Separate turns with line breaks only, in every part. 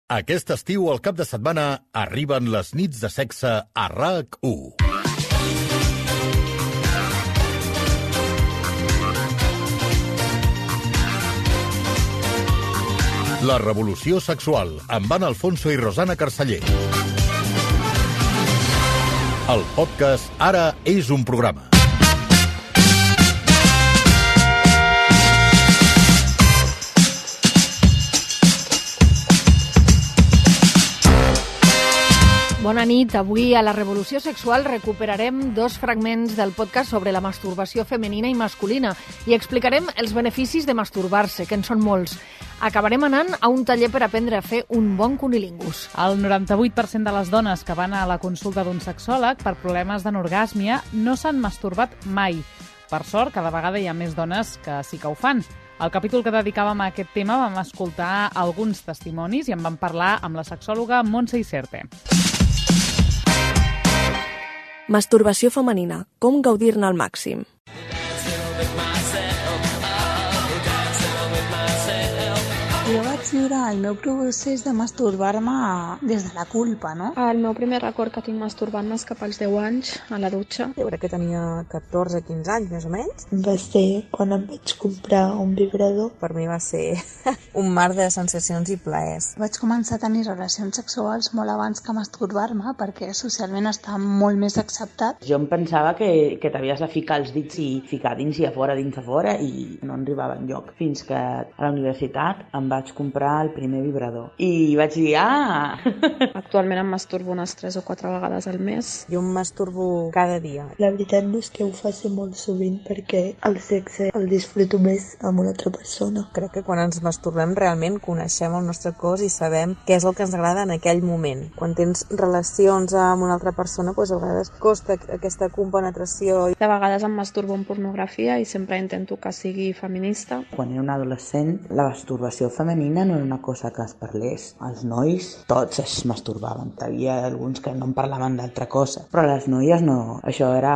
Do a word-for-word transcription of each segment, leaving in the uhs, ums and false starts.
Aquest estiu, al cap de setmana, arriben les nits de sexe a R A C u. La revolució sexual, amb Anna Alfonso i Rosana Carceller. El podcast Ara és un programa.
Bona nit. Avui a la Revolució Sexual recuperarem dos fragments del podcast sobre la masturbació femenina i masculina i explicarem els beneficis de masturbar-se, que en són molts. Acabarem anant a un taller per aprendre a fer un bon cunilingus.
El noranta-vuit per cent de les dones que van a la consulta d'un sexòleg per problemes d'anorgàsmia no s'han masturbat mai. Per sort, cada vegada hi ha més dones que sí que ho fan. Al capítol que dedicàvem a aquest tema vam escoltar alguns testimonis i en vam parlar amb la sexòloga Montse Iserte.
Masturbació femenina. Com gaudir-ne al màxim?
Jo vaig viure el meu procés de masturbar-me des de la culpa, no?
El meu primer record que tinc masturbant-me és cap als deu anys, a la dutxa.
Jo crec que tenia catorze quinze anys, més o menys.
Va ser quan em vaig comprar un vibrador.
Per mi va ser un mar de sensacions i plaers.
Vaig començar a tenir relacions sexuals molt abans que masturbar-me, perquè socialment està molt més acceptat.
Jo em pensava que, que t'havies de ficar els dits i ficar dins i a fora, dins a fora, i no arribava enlloc. Fins que a la universitat em vaig comprar el primer vibrador. I vaig dir, ah!
Actualment em masturbo unes tres o quatre vegades al mes.
Jo em masturbo cada dia.
La veritat no és que ho faci molt sovint perquè el sexe el disfruto més amb una altra persona.
Crec que quan ens masturbem realment coneixem el nostre cos i sabem què és el que ens agrada en aquell moment. Quan tens relacions amb una altra persona, doncs a vegades costa aquesta compenetració.
De vegades em masturbo en pornografia i sempre intento que sigui feminista.
Quan era un adolescent, la masturbació femenina no era una cosa que es parlés. Els nois, tots es masturbaven. Hi havia alguns que no en parlaven d'altra cosa. Però les noies no. Això era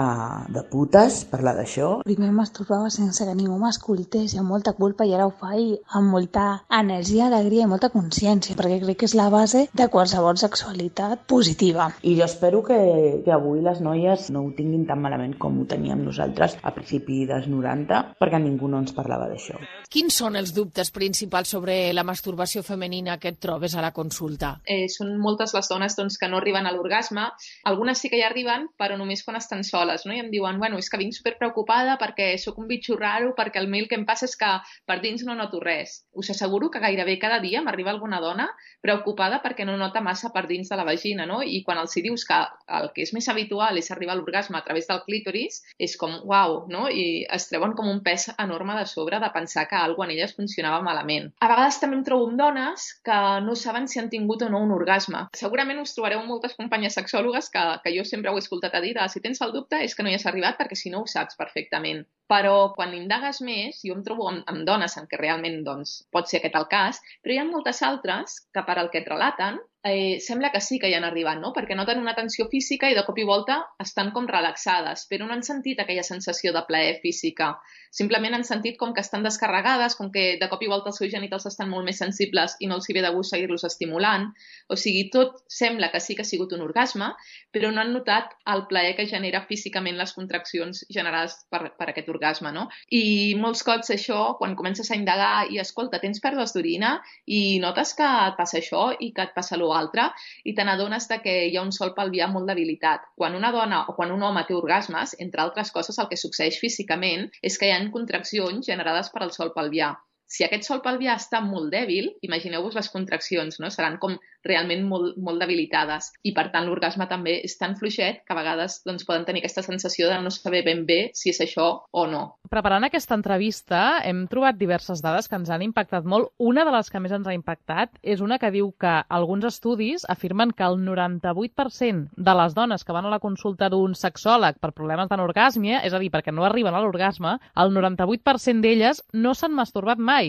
de putes, parlar d'això.
Primer em masturbava sense que ningú m'escoltés i amb molta culpa, i ara ho faig amb molta energia, alegria i molta consciència, perquè crec que és la base de qualsevol sexualitat positiva.
I jo espero que, que avui les noies no ho tinguin tan malament com ho teníem nosaltres a principi dels noranta, perquè ningú no ens parlava d'això.
Quins són els dubtes principals sobre la masturbació femenina que et trobes a la consulta?
Eh, són moltes les dones doncs, que no arriben a l'orgasme. Algunes sí que hi arriben, però només quan estan soles, no? I em diuen, bueno, és que vinc superpreocupada perquè sóc un bitxo raro, perquè el mail que em passa és que per dins no noto res. Us asseguro que gairebé cada dia m'arriba alguna dona preocupada perquè no nota massa per dins de la vagina, no? I quan els hi dius que el que és més habitual és arribar a l'orgasme a través del clítoris, és com, uau, no? I es treuen com un pes enorme de sobre de pensar que alguna cosa en elles funcionava malament. A vegades també em trobo amb dones que no saben si han tingut o no un orgasme. Segurament us trobareu moltes companyes sexòlogues que, que jo sempre ho he escoltat a dir de, si tens el dubte és que no hi has arribat perquè si no ho saps perfectament. Però quan indagues més, jo em trobo amb, amb dones en què realment doncs, pot ser aquest el cas, però hi ha moltes altres que per al que et relaten eh, sembla que sí que hi han arribat, no? Perquè noten una tensió física i de cop i volta estan com relaxades, però no han sentit aquella sensació de plaer física. Simplement han sentit com que estan descarregades, com que de cop i volta els seus genitals estan molt més sensibles i no els hi ve de gust seguir-los estimulant. O sigui, tot sembla que sí que ha sigut un orgasme, però no han notat el plaer que genera físicament les contraccions generades per, per aquest orgasme, no? I molts cops això, quan comences a indagar i escolta, tens pèrdues d'orina i notes que et passa això i que et passa l'altre i te n'adones que hi ha un sòl pelvià molt debilitat. Quan una dona o quan un home té orgasmes, entre altres coses, el que succeeix físicament és que hi ha contraccions generades per al sòl pelvià. Si aquest sòl pelvià està molt dèbil, imagineu-vos les contraccions, no? Seran com realment molt, molt debilitades. I per tant l'orgasme també és tan fluixet que a vegades doncs, poden tenir aquesta sensació de no saber ben bé si és això o no.
Preparant aquesta entrevista hem trobat diverses dades que ens han impactat molt. Una de les que més ens ha impactat és una que diu que alguns estudis afirmen que el noranta-vuit per cent de les dones que van a la consulta d'un sexòleg per problemes d'anorgàsmia, és a dir, perquè no arriben a l'orgasme, el noranta-vuit per cent d'elles no s'han masturbat mai.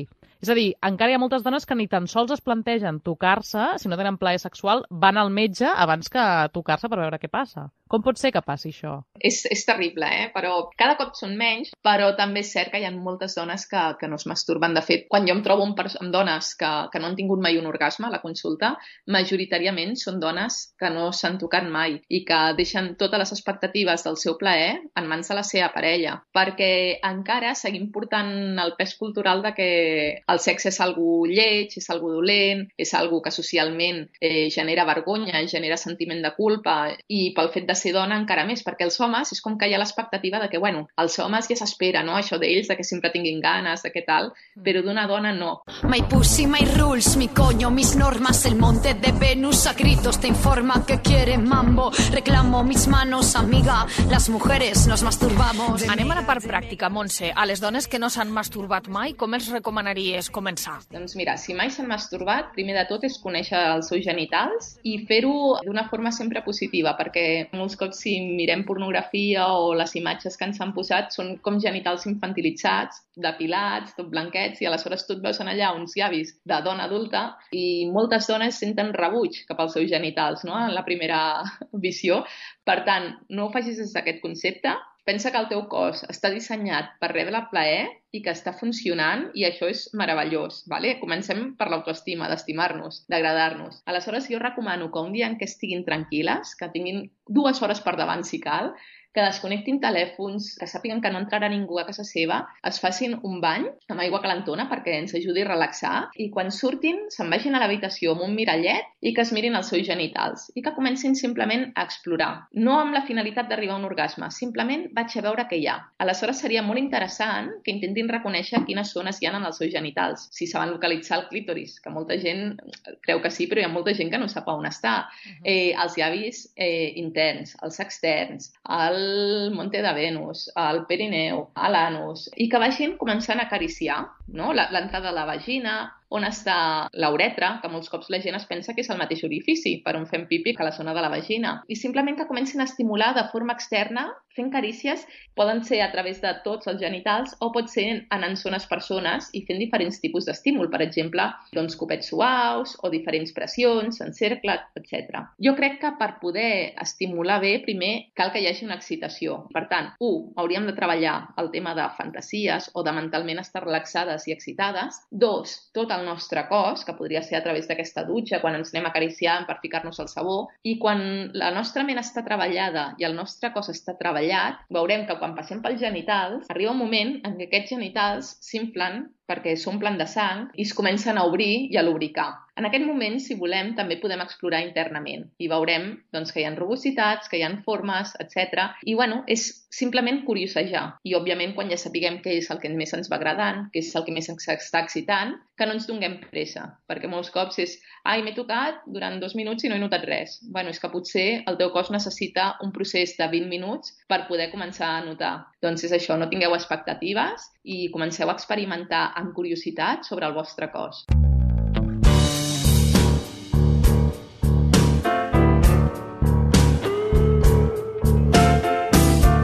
És a dir, encara hi ha moltes dones que ni tan sols es plantegen tocar-se, si no tenen plaer sexual, van al metge abans que tocar-se per veure què passa. Com pot ser que passi això?
És, és terrible, eh? Però cada cop són menys, però també és cert que hi ha moltes dones que, que no es masturben. De fet, quan jo em trobo amb, amb dones que, que no han tingut mai un orgasme a la consulta, majoritàriament són dones que no s'han tocat mai i que deixen totes les expectatives del seu plaer en mans de la seva parella, perquè encara seguim portant el pes cultural de que el sexe és algo lleig, és algo dolent, és algo que socialment eh, genera vergonya, genera sentiment de culpa, i pel fet de ser dona encara més, perquè els homes és com que hi ha l'expectativa de que, bueno, els homes ja s'espera, no?, això d'ells, de que sempre tinguin ganes, de què tal, però d'una dona no.
My pussy, my rules, mi coño, mis normas, el monte de Venus a gritos te informa que quiere mambo, reclamo mis manos, amiga, las mujeres nos masturbamos.
Anem a la part pràctica, Montse. A les dones que no s'han masturbat mai, com els recomanaries començar?
Doncs mira, si mai s'han masturbat, primer de tot és conèixer els seus genitals i fer-ho d'una forma sempre positiva, perquè molts cops si mirem pornografia o les imatges que ens han posat són com genitals infantilitzats, depilats, tot blanquets, i aleshores tu et veus en allà uns llavis de dona adulta i moltes dones senten rebuig cap als seus genitals, no?, en la primera visió. Per tant, no ho facis des d'aquest concepte. Pensa que el teu cos està dissenyat per rebre plaer i que està funcionant, i això és meravellós, vale? Comencem per l'autoestima, d'estimar-nos, d'agradar-nos. Aleshores, jo recomano que un dia en què estiguin tranquil·les, que tinguin dues hores per davant si cal, que desconnectin telèfons, que sàpiguen que no entrarà ningú a casa seva, es facin un bany amb aigua calentona perquè ens ajudi a relaxar, i quan surtin se'n vagin a l'habitació amb un mirallet i que es mirin els seus genitals i que comencin simplement a explorar. No amb la finalitat d'arribar a un orgasme, simplement vaig a veure què hi ha. Aleshores seria molt interessant que intentin reconèixer quines zones hi ha en els seus genitals, si saben localitzar el clítoris, que molta gent creu que sí, però hi ha molta gent que no sap on està. Eh, els llavis eh, interns, els externs, el el monte de Venus, el perineu, l'anus, i que vagin començant a acariciar, no?, l'entrada de la vagina, on està la uretra, que molts cops la gent es pensa que és el mateix orifici per on fem pipi que la zona de la vagina. I simplement que comencin a estimular de forma externa, fent carícies, poden ser a través de tots els genitals o pot ser anant zones per zones i fent diferents tipus d'estímul, per exemple, doncs copets suaus o diferents pressions, en cercle, etcètera. Jo crec que per poder estimular bé, primer cal que hi hagi una excitació. Per tant, u, hauríem de treballar el tema de fantasies o de mentalment estar relaxades i excitades. Dos, tot el nostre cos, que podria ser a través d'aquesta dutxa, quan ens anem acariciant per ficar-nos el sabó, i quan la nostra ment està treballada i el nostre cos està treballat, veurem que quan passem pels genitals, arriba un moment en què aquests genitals s'inflen perquè s'omplen de sang i es comencen a obrir i a lubricar. En aquest moment, si volem, també podem explorar internament i veurem doncs, que hi ha rugositats, que hi ha formes, etcètera. I bueno, és simplement curiosejar. I òbviament, quan ja sapiguem què és el que més ens va agradant, què és el que més ens està excitant, que no ens donem pressa, perquè molts cops és ai, m'he tocat durant dos minuts i no he notat res. Bueno, és que potser el teu cos necessita un procés de vint minuts per poder començar a notar. Doncs és això, no tingueu expectatives i comenceu a experimentar amb curiositat sobre el vostre cos.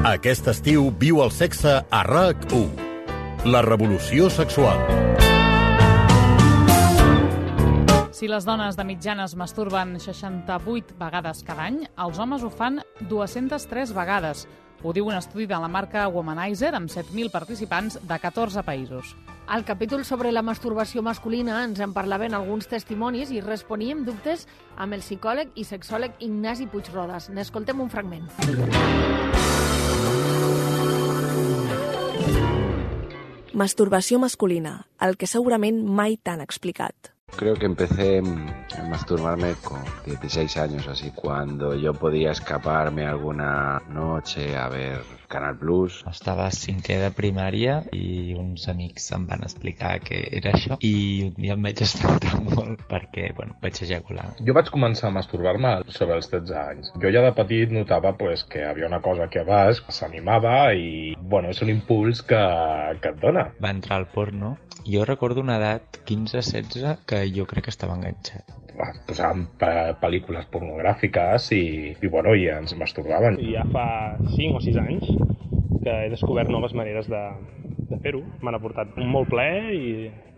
Aquest estiu viu el sexe a R A C u. La revolució sexual.
Si les dones de mitjana es masturben seixanta-vuit vegades cada any, els homes ho fan dues-centes tres vegades. Ho diu un estudi de la marca Womanizer amb set mil participants de catorze països.
Al capítol sobre la masturbació masculina ens en parlaven alguns testimonis i responíem dubtes amb el psicòleg i sexòleg Ignasi Puigrodes. N'escoltem un fragment.
Masturbació masculina, el que segurament mai t'han explicat.
Creo que empecé a masturbarme con dieciséis años, así, cuando yo podía escaparme alguna noche a ver Canal Plus.
Estava a cinquè de primària i uns amics em van explicar què era això i un dia em vaig espantar molt perquè, bueno, vaig ejacular.
Jo vaig començar a masturbar-me sobre els tretze anys. Jo ja de petit notava pues, que hi havia una cosa aquí a baix que s'animava i, bueno, és un impuls que, que et dona.
Va entrar al porno. Jo recordo una edat, quinze setze, que jo crec que estava enganxat.
Posàvem pel·lícules pornogràfiques i, i, bueno, i ens masturbaven.
Ja fa cinc o sis anys que he descobert noves maneres de, de fer-ho. M'han aportat un molt plaer i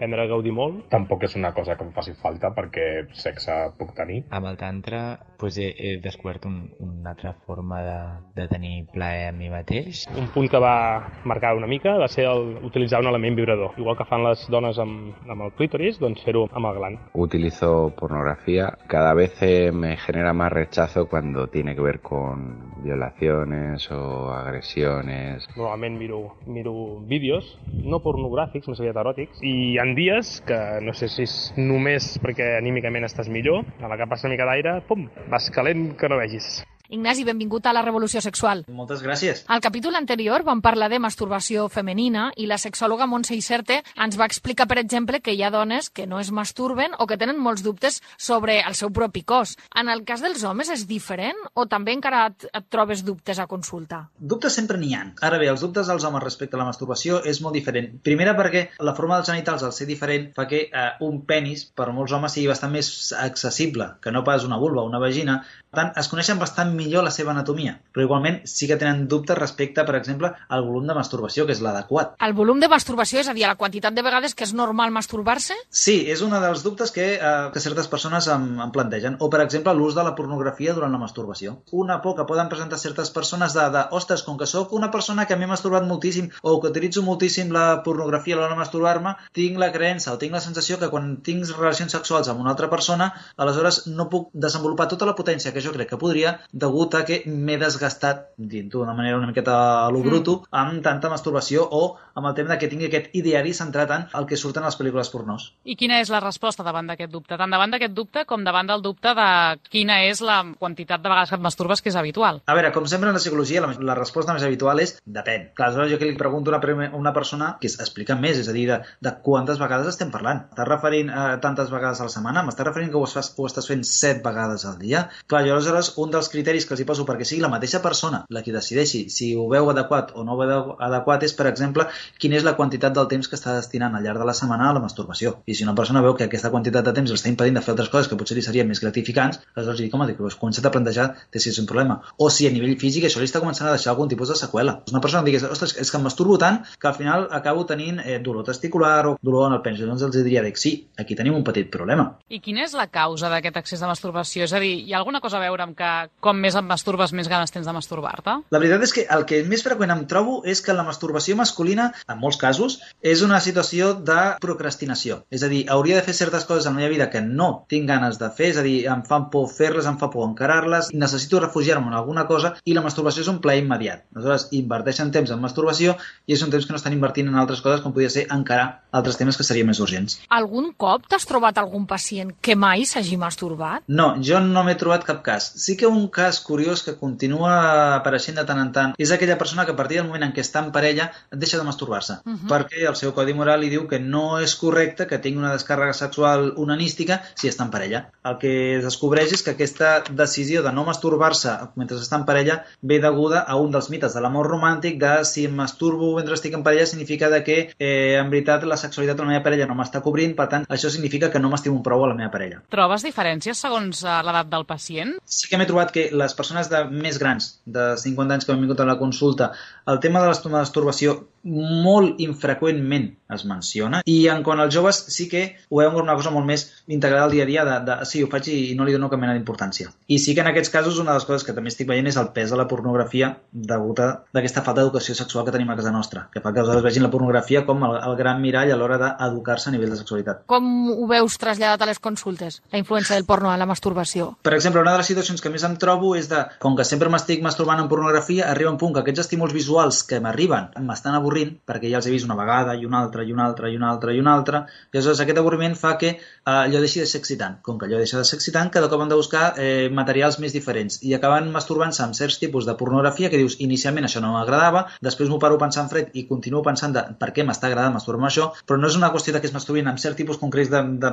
aprendre a gaudir molt.
Tampoc és una cosa que em faci falta perquè sexe puc tenir.
Amb el tantra pues, he, he descobert un, una altra forma de, de tenir plaer a mi mateix.
Un punt que va marcar una mica va ser el, utilitzar un element vibrador. Igual que fan les dones amb, amb el clítoris, doncs fer-ho amb el gland.
Utilizo pornografía. Cada vez eh, me genera más rechazo cuando tiene que ver con violaciones o agresiones.
Normalment miro, miro vídeos, no pornogràfics, més aviat eròtics, i hi ha dies que no sé si és només perquè anímicament estàs millor, a la que passa una mica d'aire, pum, vas calent que no vegis.
Ignasi, benvingut a la Revolució Sexual.
Moltes gràcies.
Al capítol anterior vam parlar de masturbació femenina i la sexòloga Montse Iserte ens va explicar, per exemple, que hi ha dones que no es masturben o que tenen molts dubtes sobre el seu propi cos. En el cas dels homes és diferent o també encara et, et trobes dubtes a consulta?
Dubtes sempre n'hi ha. Ara bé, els dubtes dels homes respecte a la masturbació és molt diferent. Primera perquè la forma dels genitals, al ser diferent, fa que eh, un penis per molts homes sigui bastant més accessible que no pas una vulva o una vagina. Per tant, es coneixen bastant millor la seva anatomia, però igualment sí que tenen dubtes respecte, per exemple, al volum de masturbació, que és l'adequat.
El volum de masturbació, és a dir, la quantitat de vegades que és normal masturbar-se?
Sí, és un dels dubtes que, eh, que certes persones em, em plantegen. O, per exemple, l'ús de la pornografia durant la masturbació. Una por que poden presentar certes persones de, de ostres, com que sóc una persona que m'he masturbat moltíssim o que utilitzo moltíssim la pornografia a l'hora de masturbar-me, tinc la creença o tinc la sensació que quan tinc relacions sexuals amb una altra persona, aleshores no puc desenvolupar tota la potència que jo crec que podria, degut a que m'he desgastat, dient-ho d'una manera una miqueta a lo bruto, mm. amb tanta masturbació o amb el tema de que tingui aquest ideari centrat en el que surten a les pel·lícules pornòs.
I quina és la resposta davant d'aquest dubte? Tant davant d'aquest dubte com davant del dubte de quina és la quantitat de vegades que et masturbes que és habitual?
A veure, com sempre en la psicologia, la, la resposta més habitual és depèn. Clar, aleshores jo que li pregunto a una, una persona que explica més, és a dir, de, de quantes vegades estem parlant. Estàs referint a tantes vegades a la setmana? M'estàs referint que ho, fas, ho estàs fent set vegades al dia? Clar, jo aleshores un dels criteris que els hi poso perquè sigui la mateixa persona la que decideixi si ho veu adequat o no ho veu adequat és, per exemple, quina és la quantitat del temps que està destinant al llarg de la setmana a la masturbació. I si una persona veu que aquesta quantitat de temps l'està impedint de fer altres coses que potser li serien més gratificants, aleshores li dic, home, dic, pues, comença't a plantejar si és un problema. O si a nivell físic això li està començant a deixar algun tipus de seqüela. Una persona que digués, ostres, és que em masturbo tant que al final acabo tenint eh, dolor testicular o dolor en el penis. Doncs els diria, dic, sí, aquí tenim un petit problema.
I quina és la causa d'aquest excés de masturbació? És a dir, hi ha alguna cosa a veure amb que com més et masturbes, més ganes tens de masturbar-te?
La veritat és que el que més freqüent em trobo és que la masturbació masculina, en molts casos, és una situació de procrastinació. És a dir, hauria de fer certes coses en la meva vida que no tinc ganes de fer, és a dir, em fan por fer-les, em fa por encarar-les, necessito refugiar-me en alguna cosa i la masturbació és un plaer immediat. Aleshores, inverteixen temps en masturbació i és un temps que no estan invertint en altres coses com podria ser encarar altres temes que serien més urgents.
Algun cop t'has trobat algun pacient que mai s'hagi masturbat?
No, jo no m'he trobat cap cas. Sí que un cas curiós que continua apareixent de tant en tant és aquella persona que a partir del moment en què està en parella deixa de masturbar-se, uh -huh. perquè el seu codi moral li diu que no és correcte que tingui una descàrrega sexual onanística si està en parella. El que es descobreix és que aquesta decisió de no masturbar-se mentre està en parella ve deguda a un dels mites de l'amor romàntic de si em masturbo mentre estic en parella significa de que eh, en veritat la sexualitat de la meva parella no m'està cobrint, per tant això significa que no m'estimo prou a la meva parella.
Trobes diferències segons l'edat del pacient?
Sí que m'he trobat que les persones de més grans, de cinquanta anys que m'han vingut a la consulta, el tema de la masturbació molt infreqüentment es menciona i en quant als joves sí que ho veuen com una cosa molt més integrada al dia a dia de, de sí, ho faig i no li dono cap mena d'importància. I sí que en aquests casos una de les coses que també estic veient és el pes de la pornografia degut a aquesta falta d'educació sexual que tenim a casa nostra, que fa que aleshores vegin la pornografia com el, el gran mirall a l'hora d'educar-se a nivell de sexualitat.
Com ho veus traslladat a les consultes, la influència del porno a la masturbació?
Per exemple, una de les situacions que més em trobo és de, com que sempre m'estic masturbant en pornografia, arriba un punt que aquests estímuls visuals que m'arriben m'estan avorrint, perquè ja els he vist una vegada i una altra i una altra i una altra i una altra, i aleshores aquest avorriment fa que eh, allò deixi de ser excitant. Com que allò deixa de ser excitant, cada cop han de buscar eh, materials més diferents i acaben masturbant-se amb certs tipus de pornografia que dius, inicialment això no m'agradava, després m'ho paro pensant fred i continuo pensant de per què m'està agradant masturbar això, però no és una qüestió de que es masturbin amb cert tipus concrets de, de,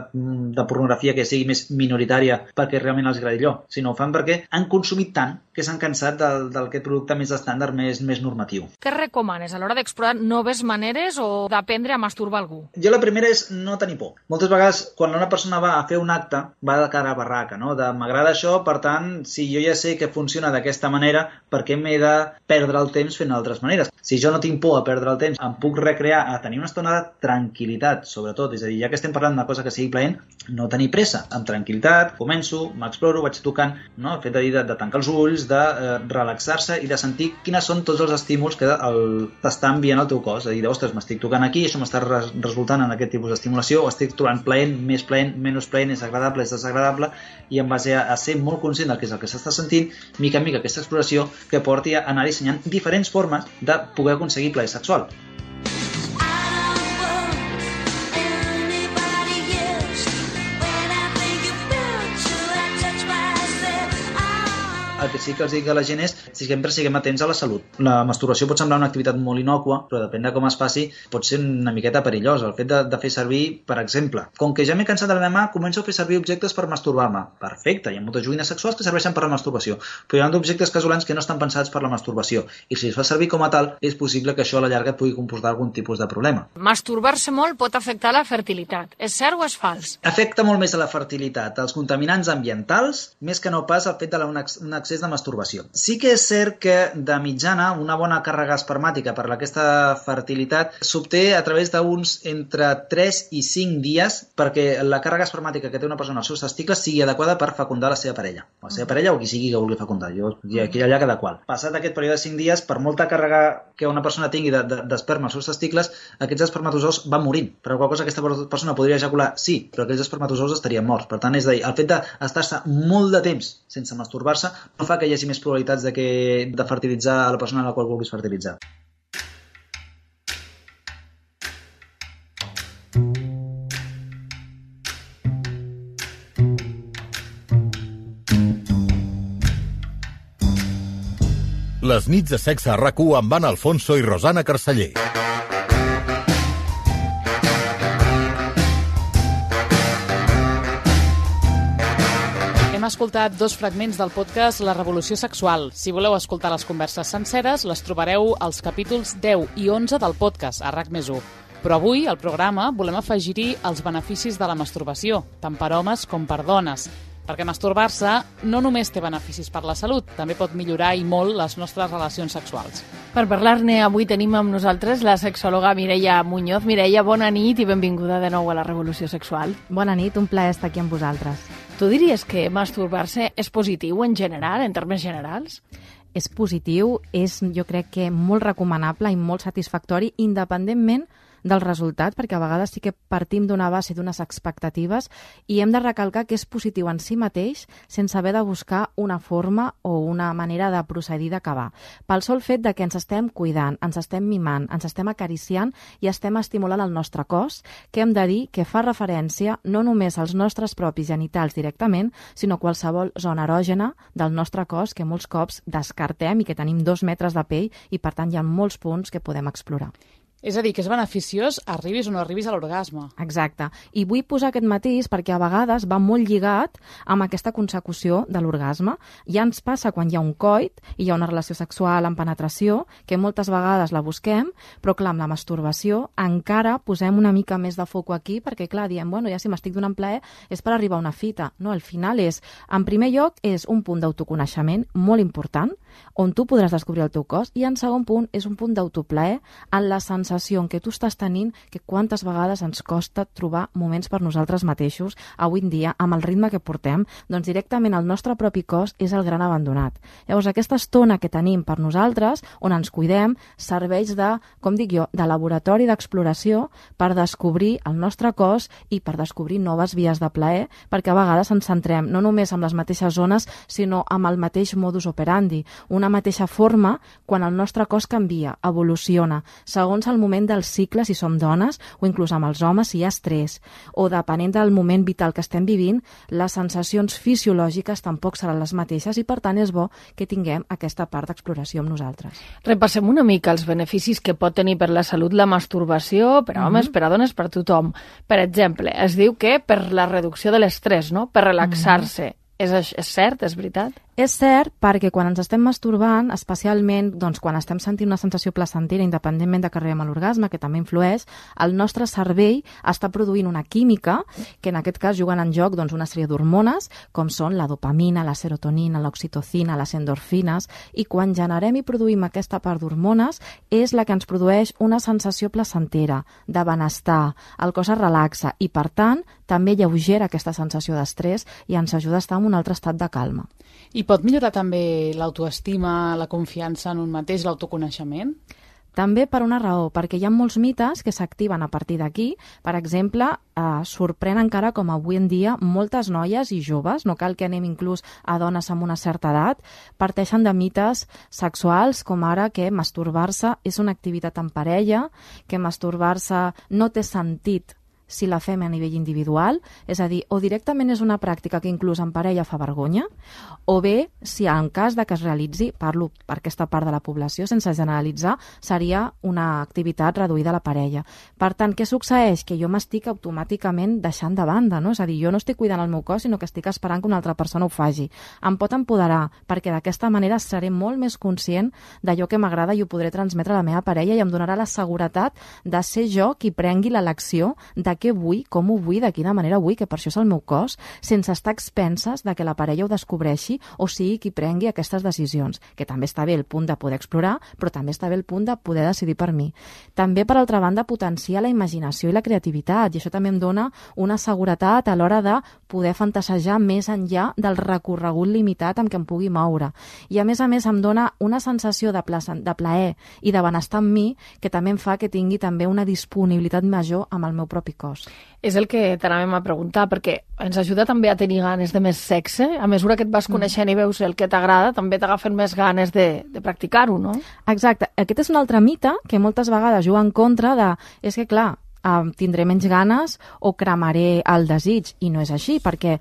de pornografia que sigui més minoritària perquè realment els agradi allò, sinó ho fan perquè han consumit consumit tant que s'han cansat del, del aquest producte més estàndard, més, més normatiu.
Què recomanes a l'hora d'explorar noves maneres o d'aprendre a masturbar algú?
Jo la primera és no tenir por. Moltes vegades, quan una persona va a fer un acte, va de cara a barraca, no? De m'agrada això, per tant, si jo ja sé que funciona d'aquesta manera, per què m'he de perdre el temps fent d'altres maneres? Si jo no tinc por a perdre el temps, em puc recrear a tenir una estona de tranquil·litat, sobretot. És a dir, ja que estem parlant d'una cosa que sigui plaent, no tenir pressa. Amb tranquil·litat, començo, m'exploro, vaig tocant, no? El fet de, dir, de, de tancar els ulls, de eh, relaxar-se i de sentir quines són tots els estímuls que el, t'està enviant el teu cos. És a dir, ostres, m'estic tocant aquí, això m'està res, resultant en aquest tipus d'estimulació, o estic trobant plaent, més plaent, menys plaent, és agradable, és desagradable, i en base a, a ser molt conscient del que és el que s'està sentint, mica en mica aquesta exploració que porti a anar dissenyant diferents formes de poder aconseguir plaer sexual. El que sí que els dic a la gent és si sempre siguem atents a la salut. La masturbació pot semblar una activitat molt innòcua, però depèn de com es faci, pot ser una miqueta perillosa. El fet de, de fer servir, per exemple, com que ja m'he cansat de la meva mà, començo a fer servir objectes per masturbar-me. Perfecte, hi ha moltes joguines sexuals que serveixen per la masturbació, però hi ha objectes casolans que no estan pensats per la masturbació. I si es fa servir com a tal, és possible que això a la llarga et pugui comportar algun tipus de problema.
Masturbar-se molt pot afectar la fertilitat. És cert o és fals?
Afecta molt més a la fertilitat, als contaminants ambientals, més que no pas al fet de la, un excés de masturbació. Sí que és cert que de mitjana una bona càrrega espermàtica per aquesta fertilitat s'obté a través d'uns entre tres i cinc dies perquè la càrrega espermàtica que té una persona als seus testicles sigui adequada per fecundar la seva parella. La seva parella o qui sigui que vulgui fecundar. Jo, aquí allà cada qual. Passat aquest període de cinc dies, per molta càrrega que una persona tingui d'esperma als seus testicles, aquests espermatozous van morint. Per qual cosa aquesta persona podria ejacular? Sí, però aquells espermatozous estarien morts. Per tant, és a dir, el fet d'estar-se molt de temps sense masturbar-se no fa que hi hagi més probabilitats de, que, de fertilitzar a la persona a la qual vulguis fertilitzar.
Les nits de sexe a RAC u amb Anna Alfonso i Rosana Carceller.
Hem escoltat dos fragments del podcast La Revolució Sexual. Si voleu escoltar les converses senceres, les trobareu als capítols deu i onze del podcast a RAC més u. Però avui, al programa, volem afegir-hi els beneficis de la masturbació, tant per homes com per dones. Perquè masturbar-se no només té beneficis per la salut, també pot millorar i molt les nostres relacions sexuals.
Per parlar-ne, avui tenim amb nosaltres la sexòloga Mireia Muñoz. Mireia, bona nit i benvinguda de nou a la Revolució Sexual.
Bona nit, un plaer estar aquí amb vosaltres.
Tu diries que masturbar-se és positiu en general, en termes generals?
És positiu, és jo crec que molt recomanable i molt satisfactori, independentment del resultat, perquè a vegades sí que partim d'una base, d'unes expectatives, i hem de recalcar que és positiu en si mateix sense haver de buscar una forma o una manera de procedir d'acabar. Pel sol fet de que ens estem cuidant, ens estem mimant, ens estem acariciant i estem estimulant el nostre cos, que hem de dir que fa referència no només als nostres propis genitals directament, sinó a qualsevol zona erògena del nostre cos que molts cops descartem i que tenim dos metres de pell i per tant hi ha molts punts que podem explorar.
És a dir, que és beneficiós arribis o no arribis a l'orgasme.
Exacte. I vull posar aquest matís perquè a vegades va molt lligat amb aquesta consecució de l'orgasme. Ja ens passa quan hi ha un coit i hi ha una relació sexual amb penetració, que moltes vegades la busquem, però clar, amb la masturbació encara posem una mica més de foco aquí perquè clar, diem, bueno, ja si m'estic donant plaer és per arribar a una fita. No, al final és, en primer lloc, és un punt d'autoconeixement molt important, on tu podràs descobrir el teu cos, i en segon punt és un punt d'autoplaer en la sensació en què tu estàs tenint, que quantes vegades ens costa trobar moments per nosaltres mateixos avui en dia, amb el ritme que portem, doncs directament el nostre propi cos és el gran abandonat. Llavors aquesta estona que tenim per nosaltres, on ens cuidem, serveix de, com dic jo, de laboratori d'exploració per descobrir el nostre cos i per descobrir noves vies de plaer, perquè a vegades ens centrem no només amb les mateixes zones, sinó amb el mateix modus operandi, una mateixa forma quan el nostre cos canvia, evoluciona, segons el moment del cicle, si som dones, o inclús amb els homes, si hi ha estrès, o depenent del moment vital que estem vivint, les sensacions fisiològiques tampoc seran les mateixes i, per tant, és bo que tinguem aquesta part d'exploració amb nosaltres.
Repassem una mica els beneficis que pot tenir per la salut la masturbació, per a homes, mm-hmm. per a dones, per a tothom. Per exemple, es diu que per la reducció de l'estrès, no? Per relaxar-se. Mm-hmm. És, és cert, és veritat?
És cert perquè quan ens estem masturbant, especialment doncs, quan estem sentint una sensació placentera, independentment de que arribem a l'orgasme, que també influeix, el nostre cervell està produint una química que en aquest cas juguen en joc doncs, una sèrie d'hormones, com són la dopamina, la serotonina, l'oxitocina, les endorfines, i quan generem i produïm aquesta part d'hormones és la que ens produeix una sensació placentera, de benestar, el cos es relaxa i, per tant, també lleugera aquesta sensació d'estrès i ens ajuda a estar en un altre estat de calma.
I pot millorar també l'autoestima, la confiança en un mateix, l'autoconeixement?
També per una raó, perquè hi ha molts mites que s'activen a partir d'aquí. Per exemple, eh, sorprèn encara com avui en dia moltes noies i joves, no cal que anem inclús a dones amb una certa edat, parteixen de mites sexuals com ara que masturbar-se és una activitat en parella, que masturbar-se no té sentit si la fem a nivell individual, és a dir, o directament és una pràctica que inclús en parella fa vergonya, o bé, si en cas de que es realitzi, parlo per aquesta part de la població, sense generalitzar, seria una activitat reduïda a la parella. Per tant, què succeeix? Que jo m'estic automàticament deixant de banda, no? És a dir, jo no estic cuidant el meu cos, sinó que estic esperant que una altra persona ho faci. Em pot empoderar, perquè d'aquesta manera seré molt més conscient d'allò que m'agrada i ho podré transmetre a la meva parella i em donarà la seguretat de ser jo qui prengui l'elecció de què vull, com ho vull, de quina manera vull, que per això és el meu cos, sense estar expenses de que la parella ho descobreixi o sigui qui prengui aquestes decisions, que també està bé el punt de poder explorar, però també està bé el punt de poder decidir per mi. També, per altra banda, potenciar la imaginació i la creativitat, i això també em dona una seguretat a l'hora de poder fantasejar més enllà del recorregut limitat amb què em pugui moure. I a més a més em dona una sensació de, plaer, de plaer i de benestar en mi que també em fa que tingui també una disponibilitat major amb el meu propi cos.
És el que t'anàvem a preguntar, perquè ens ajuda també a tenir ganes de més sexe. A mesura que et vas coneixent mm. i veus el que t'agrada, també t'agafen més ganes de, de practicar-ho, no?
Exacte. Aquest és un altre mite que moltes vegades juga en contra de... És que, clar, eh, tindré menys ganes o cremaré el desig, i no és així, perquè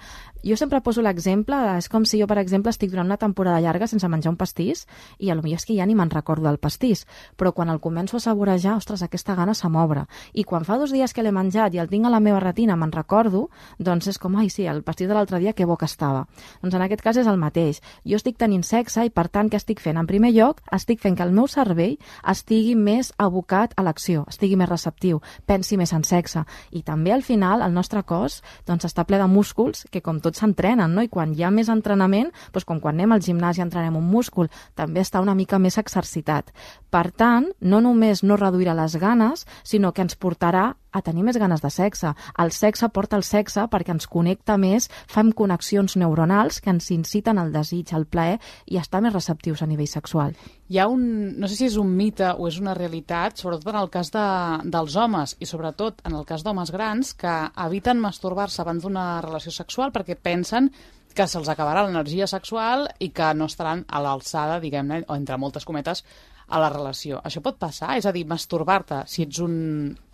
jo sempre poso l'exemple, és com si jo, per exemple, estic durant una temporada llarga sense menjar un pastís i potser és que ja ni me'n recordo del pastís, però quan el començo a saborejar, ostres, aquesta gana se m'obre. I quan fa dos dies que l'he menjat i el tinc a la meva retina, me'n recordo, doncs és com, ai, sí, el pastís de l'altre dia, que bo que estava. Doncs en aquest cas és el mateix. Jo estic tenint sexe i, per tant, què estic fent? En primer lloc, estic fent que el meu cervell estigui més abocat a l'acció, estigui més receptiu, pensi més en sexe. I també, al final, el nostre cos doncs, està ple de músculs que, com tots s'entrenen, no? I quan hi ha més entrenament, doncs com quan anem al gimnàs i entrenem un múscul, també està una mica més exercitat. Per tant, no només no reduirà les ganes, sinó que ens portarà a tenir més ganes de sexe. El sexe porta el sexe perquè ens connecta més, fem connexions neuronals que ens inciten al desig, al plaer i estar més receptius a nivell sexual.
Hi ha un, no sé si és un mite o és una realitat, sobretot en el cas de, dels homes i sobretot en el cas d'homes grans, que eviten masturbar-se abans d'una relació sexual perquè pensen que se'ls acabarà l'energia sexual i que no estaran a l'alçada, diguem-ne, o entre moltes cometes, a la relació. Això pot passar? És a dir, masturbar-te, si ets un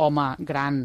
home gran,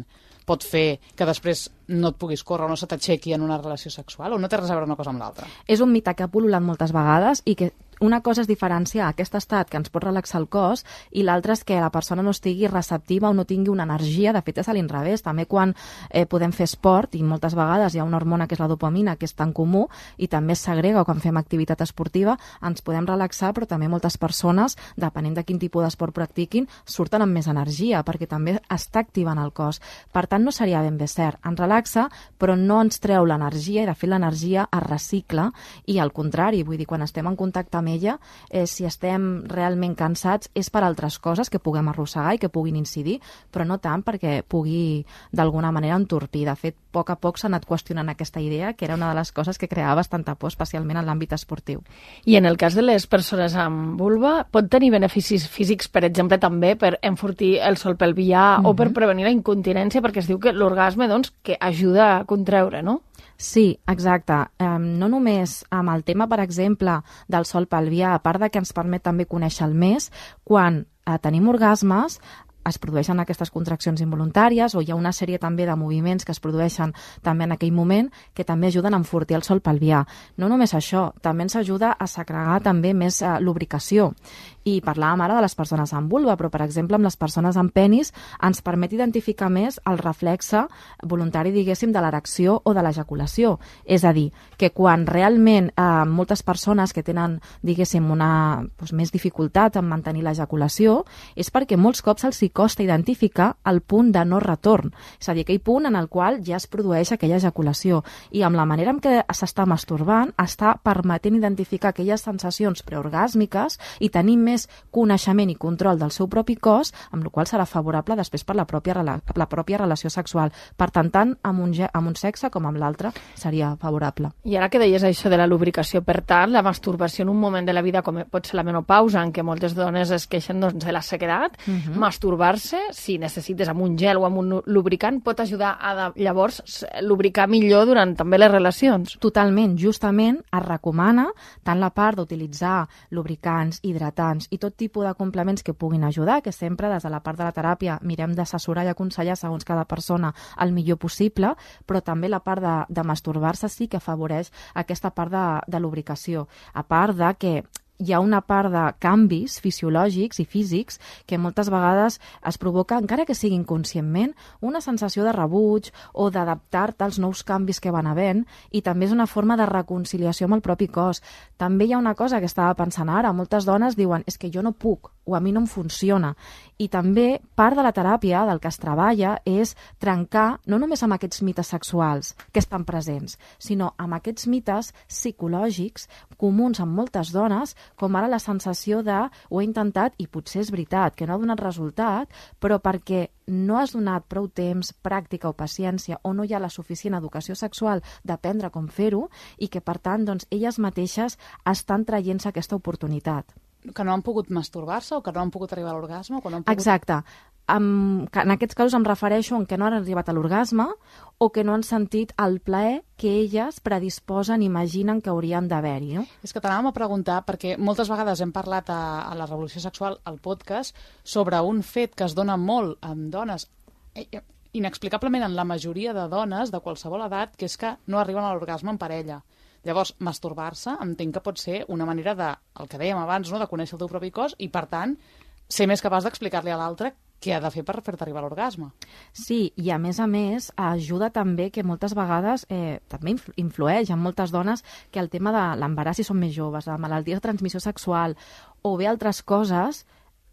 pot fer que després no et puguis córrer o no se t'aixequi en una relació sexual, o no té res a veure una cosa amb l'altra?
És un mite que ha pul·lulat moltes vegades i que una cosa és diferenciar aquest estat que ens pot relaxar el cos i l'altra és que la persona no estigui receptiva o no tingui una energia. De fet, és a l'inrevés. També quan eh, podem fer esport, i moltes vegades hi ha una hormona que és la dopamina, que és tan comú, i també es segrega quan fem activitat esportiva, ens podem relaxar, però també moltes persones, depenent de quin tipus d'esport practiquin, surten amb més energia, perquè també està activant el cos. Per tant, no seria ben bé cert. Ens relaxa, però no ens treu l'energia, i de fet l'energia es recicla, i al contrari, vull dir, quan estem en contacte amb ella, eh, si estem realment cansats és per altres coses que puguem arrossegar i que puguin incidir, però no tant perquè pugui d'alguna manera entorpir. De fet, a poc a poc s'ha anat qüestionant aquesta idea, que era una de les coses que creava bastanta por, especialment en l'àmbit esportiu.
I en el cas de les persones amb vulva, pot tenir beneficis físics, per exemple, també per enfortir el sol pelvià mm-hmm. o per prevenir la incontinència, perquè es diu que l'orgasme, doncs, que ajuda a contreure, no?
Sí, exacte. Eh, no només amb el tema, per exemple, del sol pelvià, a part de que ens permet també conèixer el més, quan eh, tenim orgasmes, es produeixen aquestes contraccions involuntàries o hi ha una sèrie també de moviments que es produeixen també en aquell moment que també ajuden a enfortir el sol pelvià. No només això, també ens ajuda a segregar també més eh, lubricació I parlàvem ara de les persones amb vulva, però, per exemple, amb les persones amb penis ens permet identificar més el reflexe voluntari, diguéssim, de l'erecció o de l'ejaculació. És a dir, que quan realment eh, moltes persones que tenen, diguéssim, una doncs, més dificultat en mantenir l'ejaculació, és perquè molts cops els hi costa identificar el punt de no retorn. És a dir, aquell punt en el qual ja es produeix aquella ejaculació. I amb la manera en què s'està masturbant, està permetent identificar aquelles sensacions preorgàsmiques i tenir més coneixement i control del seu propi cos, amb la qual serà favorable després per la pròpia, la pròpia relació sexual. Per tant, tant amb un, amb un sexe com amb l'altre seria favorable.
I ara que deies això de la lubricació, per tant, la masturbació en un moment de la vida com pot ser la menopausa, en què moltes dones es queixen doncs, de la sequedat, uh-huh. masturbar-se, si necessites amb un gel o amb un lubricant, pot ajudar a llavors lubricar millor durant també les relacions.
Totalment. Justament es recomana tant la part d'utilitzar lubricants, hidratants i tot tipus de complements que puguin ajudar, que sempre des de la part de la teràpia mirem d'assessorar i aconsellar segons cada persona el millor possible, però també la part de, de masturbar-se sí que afavoreix aquesta part de, de lubricació. A part de que hi ha una part de canvis fisiològics i físics que moltes vegades es provoca, encara que sigui inconscientment, una sensació de rebuig o d'adaptar-te als nous canvis que van havent, i també és una forma de reconciliació amb el propi cos. També hi ha una cosa que estava pensant ara, moltes dones diuen és que jo no puc o a mi no em funciona. I també part de la teràpia, del que es treballa, és trencar no només amb aquests mites sexuals que estan presents, sinó amb aquests mites psicològics comuns amb moltes dones, com ara la sensació de ho he intentat i potser és veritat, que no ha donat resultat, però perquè no has donat prou temps, pràctica o paciència, o no hi ha la suficient educació sexual d'aprendre com fer-ho, i que, per tant, doncs, elles mateixes estan traient-se aquesta oportunitat.
Que no han pogut masturbar-se o que no han pogut arribar a l'orgasme? O que no han pogut...
Exacte. En, en aquests casos em refereixo a que no han arribat a l'orgasme o que no han sentit el plaer que elles predisposen, imaginen que haurien d'haver-hi. No?
És que t'anàvem a preguntar, perquè moltes vegades hem parlat a, a la Revolució Sexual, al podcast, sobre un fet que es dona molt amb dones, inexplicablement en la majoria de dones de qualsevol edat, que és que no arriben a l'orgasme en parella. Llavors, masturbar-se entenc que pot ser una manera de, el que dèiem abans, no?, de conèixer el teu propi cos i, per tant, ser més capaç d'explicar-li a l'altre què ha de fer per fer-te arribar a l'orgasme.
Sí, i a més a més ajuda també que moltes vegades eh, també influeix en moltes dones que el tema de l'embaràs si són més joves, la malaltia de transmissió sexual o bé altres coses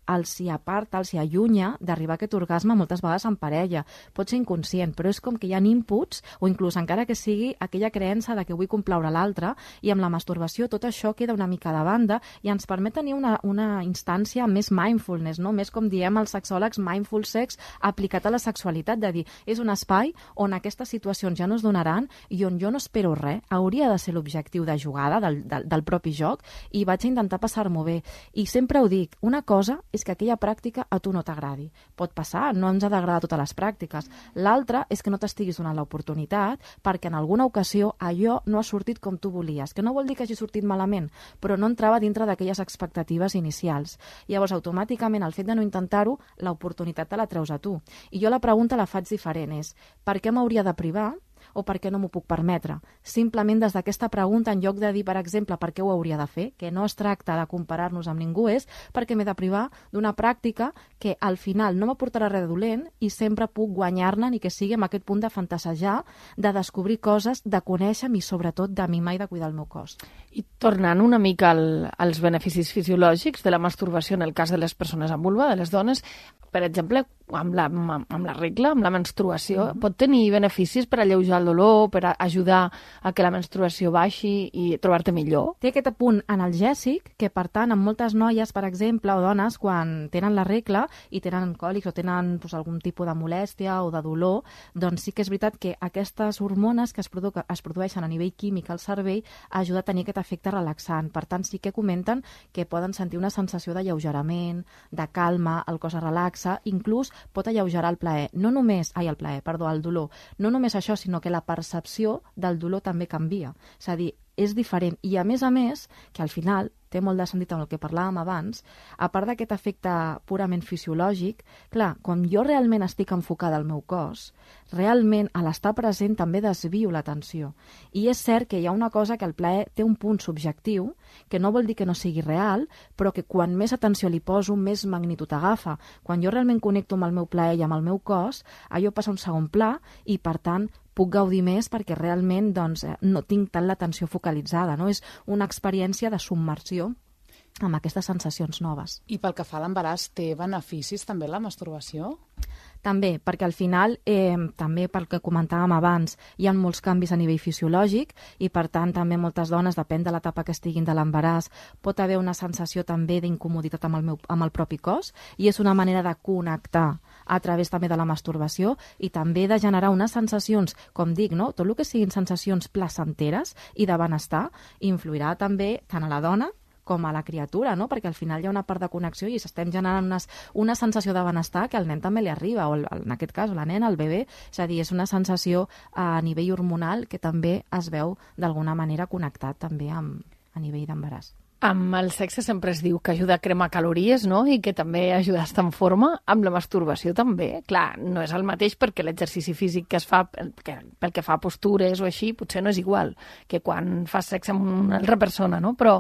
els hi aparta, els hi allunya d'arribar a aquest orgasme moltes vegades en parella. Pot ser inconscient, però és com que hi ha inputs, o inclús encara que sigui aquella creença de que vull complaure l'altre, i amb la masturbació tot això queda una mica de banda i ens permet tenir una, una instància més mindfulness, no? Més com diem els sexòlegs, mindful sex aplicat a la sexualitat, de dir, és un espai on aquestes situacions ja no es donaran i on jo no espero res, hauria de ser l'objectiu de jugada del, del, del propi joc, i vaig a intentar passar-m'ho bé. I sempre ho dic, una cosa és que aquella pràctica a tu no t'agradi. Pot passar, no ens ha d'agradar totes les pràctiques. L'altra és que no t'estiguis donant l'oportunitat perquè en alguna ocasió allò no ha sortit com tu volies, que no vol dir que hagi sortit malament, però no entrava dintre d'aquelles expectatives inicials. Llavors, automàticament, el fet de no intentar-ho, l'oportunitat te la treus a tu. I jo la pregunta la faig diferent, és per què m'hauria de privar o per què no m'ho puc permetre? Simplement des d'aquesta pregunta, en lloc de dir, per exemple, per què ho hauria de fer, que no es tracta de comparar-nos amb ningú, és perquè m'he de privar d'una pràctica que al final no m'aportarà res de dolent i sempre puc guanyar-ne, ni que sigui amb aquest punt de fantasejar, de descobrir coses, de conèixer-me i sobretot de mimar i de cuidar el meu cos.
I tornant una mica al, als beneficis fisiològics de la masturbació en el cas de les persones amb vulva, de les dones, per exemple, amb la, amb la regla, amb la menstruació, mm-hmm. pot tenir beneficis per alleujar el dolor, per ajudar a que la menstruació baixi i trobar-te millor?
Té aquest punt analgèsic que, per tant, en moltes noies, per exemple, o dones, quan tenen la regla i tenen còlics o tenen doncs, algun tipus de molèstia o de dolor, doncs sí que és veritat que aquestes hormones que es, produ es produeixen a nivell químic al cervell ajuda a tenir aquest efecte relaxant. Per tant, sí que comenten que poden sentir una sensació d'alleugerament, de calma, el cos es relaxa, inclús pot alleugerar el plaer. No només, ai, el plaer, perdó, el dolor. No només això, sinó que la percepció del dolor també canvia. És a dir, és diferent. I a més a més, que al final té molt de sentit amb el que parlàvem abans, a part d'aquest efecte purament fisiològic, clar, quan jo realment estic enfocada al meu cos, realment a l'estar present també desvio l'atenció. I és cert que hi ha una cosa que el plaer té un punt subjectiu, que no vol dir que no sigui real, però que quan més atenció li poso, més magnitud agafa. Quan jo realment connecto amb el meu plaer i amb el meu cos, allò passa a un segon pla i, per tant, puc gaudir més perquè realment doncs, no tinc tant l'atenció focalitzada. No? És una experiència de submersió amb aquestes sensacions noves.
I pel que fa a l'embaràs, té beneficis també la masturbació?
També, perquè al final, eh, també pel que comentàvem abans, hi ha molts canvis a nivell fisiològic i, per tant, també moltes dones, depèn de l'etapa que estiguin de l'embaràs, pot haver una sensació també d'incomoditat amb el, meu, amb el propi cos i és una manera de connectar a través també de la masturbació i també de generar unes sensacions, com dic, no? Tot el que siguin sensacions placenteres i de benestar influirà també tant a la dona com a la criatura, no? Perquè al final hi ha una part de connexió i s'estem generant unes, una sensació de benestar que al nen també li arriba, o el, en aquest cas la nena, el bebè, és a dir, és una sensació a nivell hormonal que també es veu d'alguna manera connectat també amb, a nivell d'embaràs.
Amb el sexe sempre es diu que ajuda a cremar calories, no? I que també ajuda a estar en forma. Amb la masturbació també. Clar, no és el mateix perquè l'exercici físic que es fa, que, pel que fa a postures o així, potser no és igual que quan fas sexe amb una altra persona, no? Però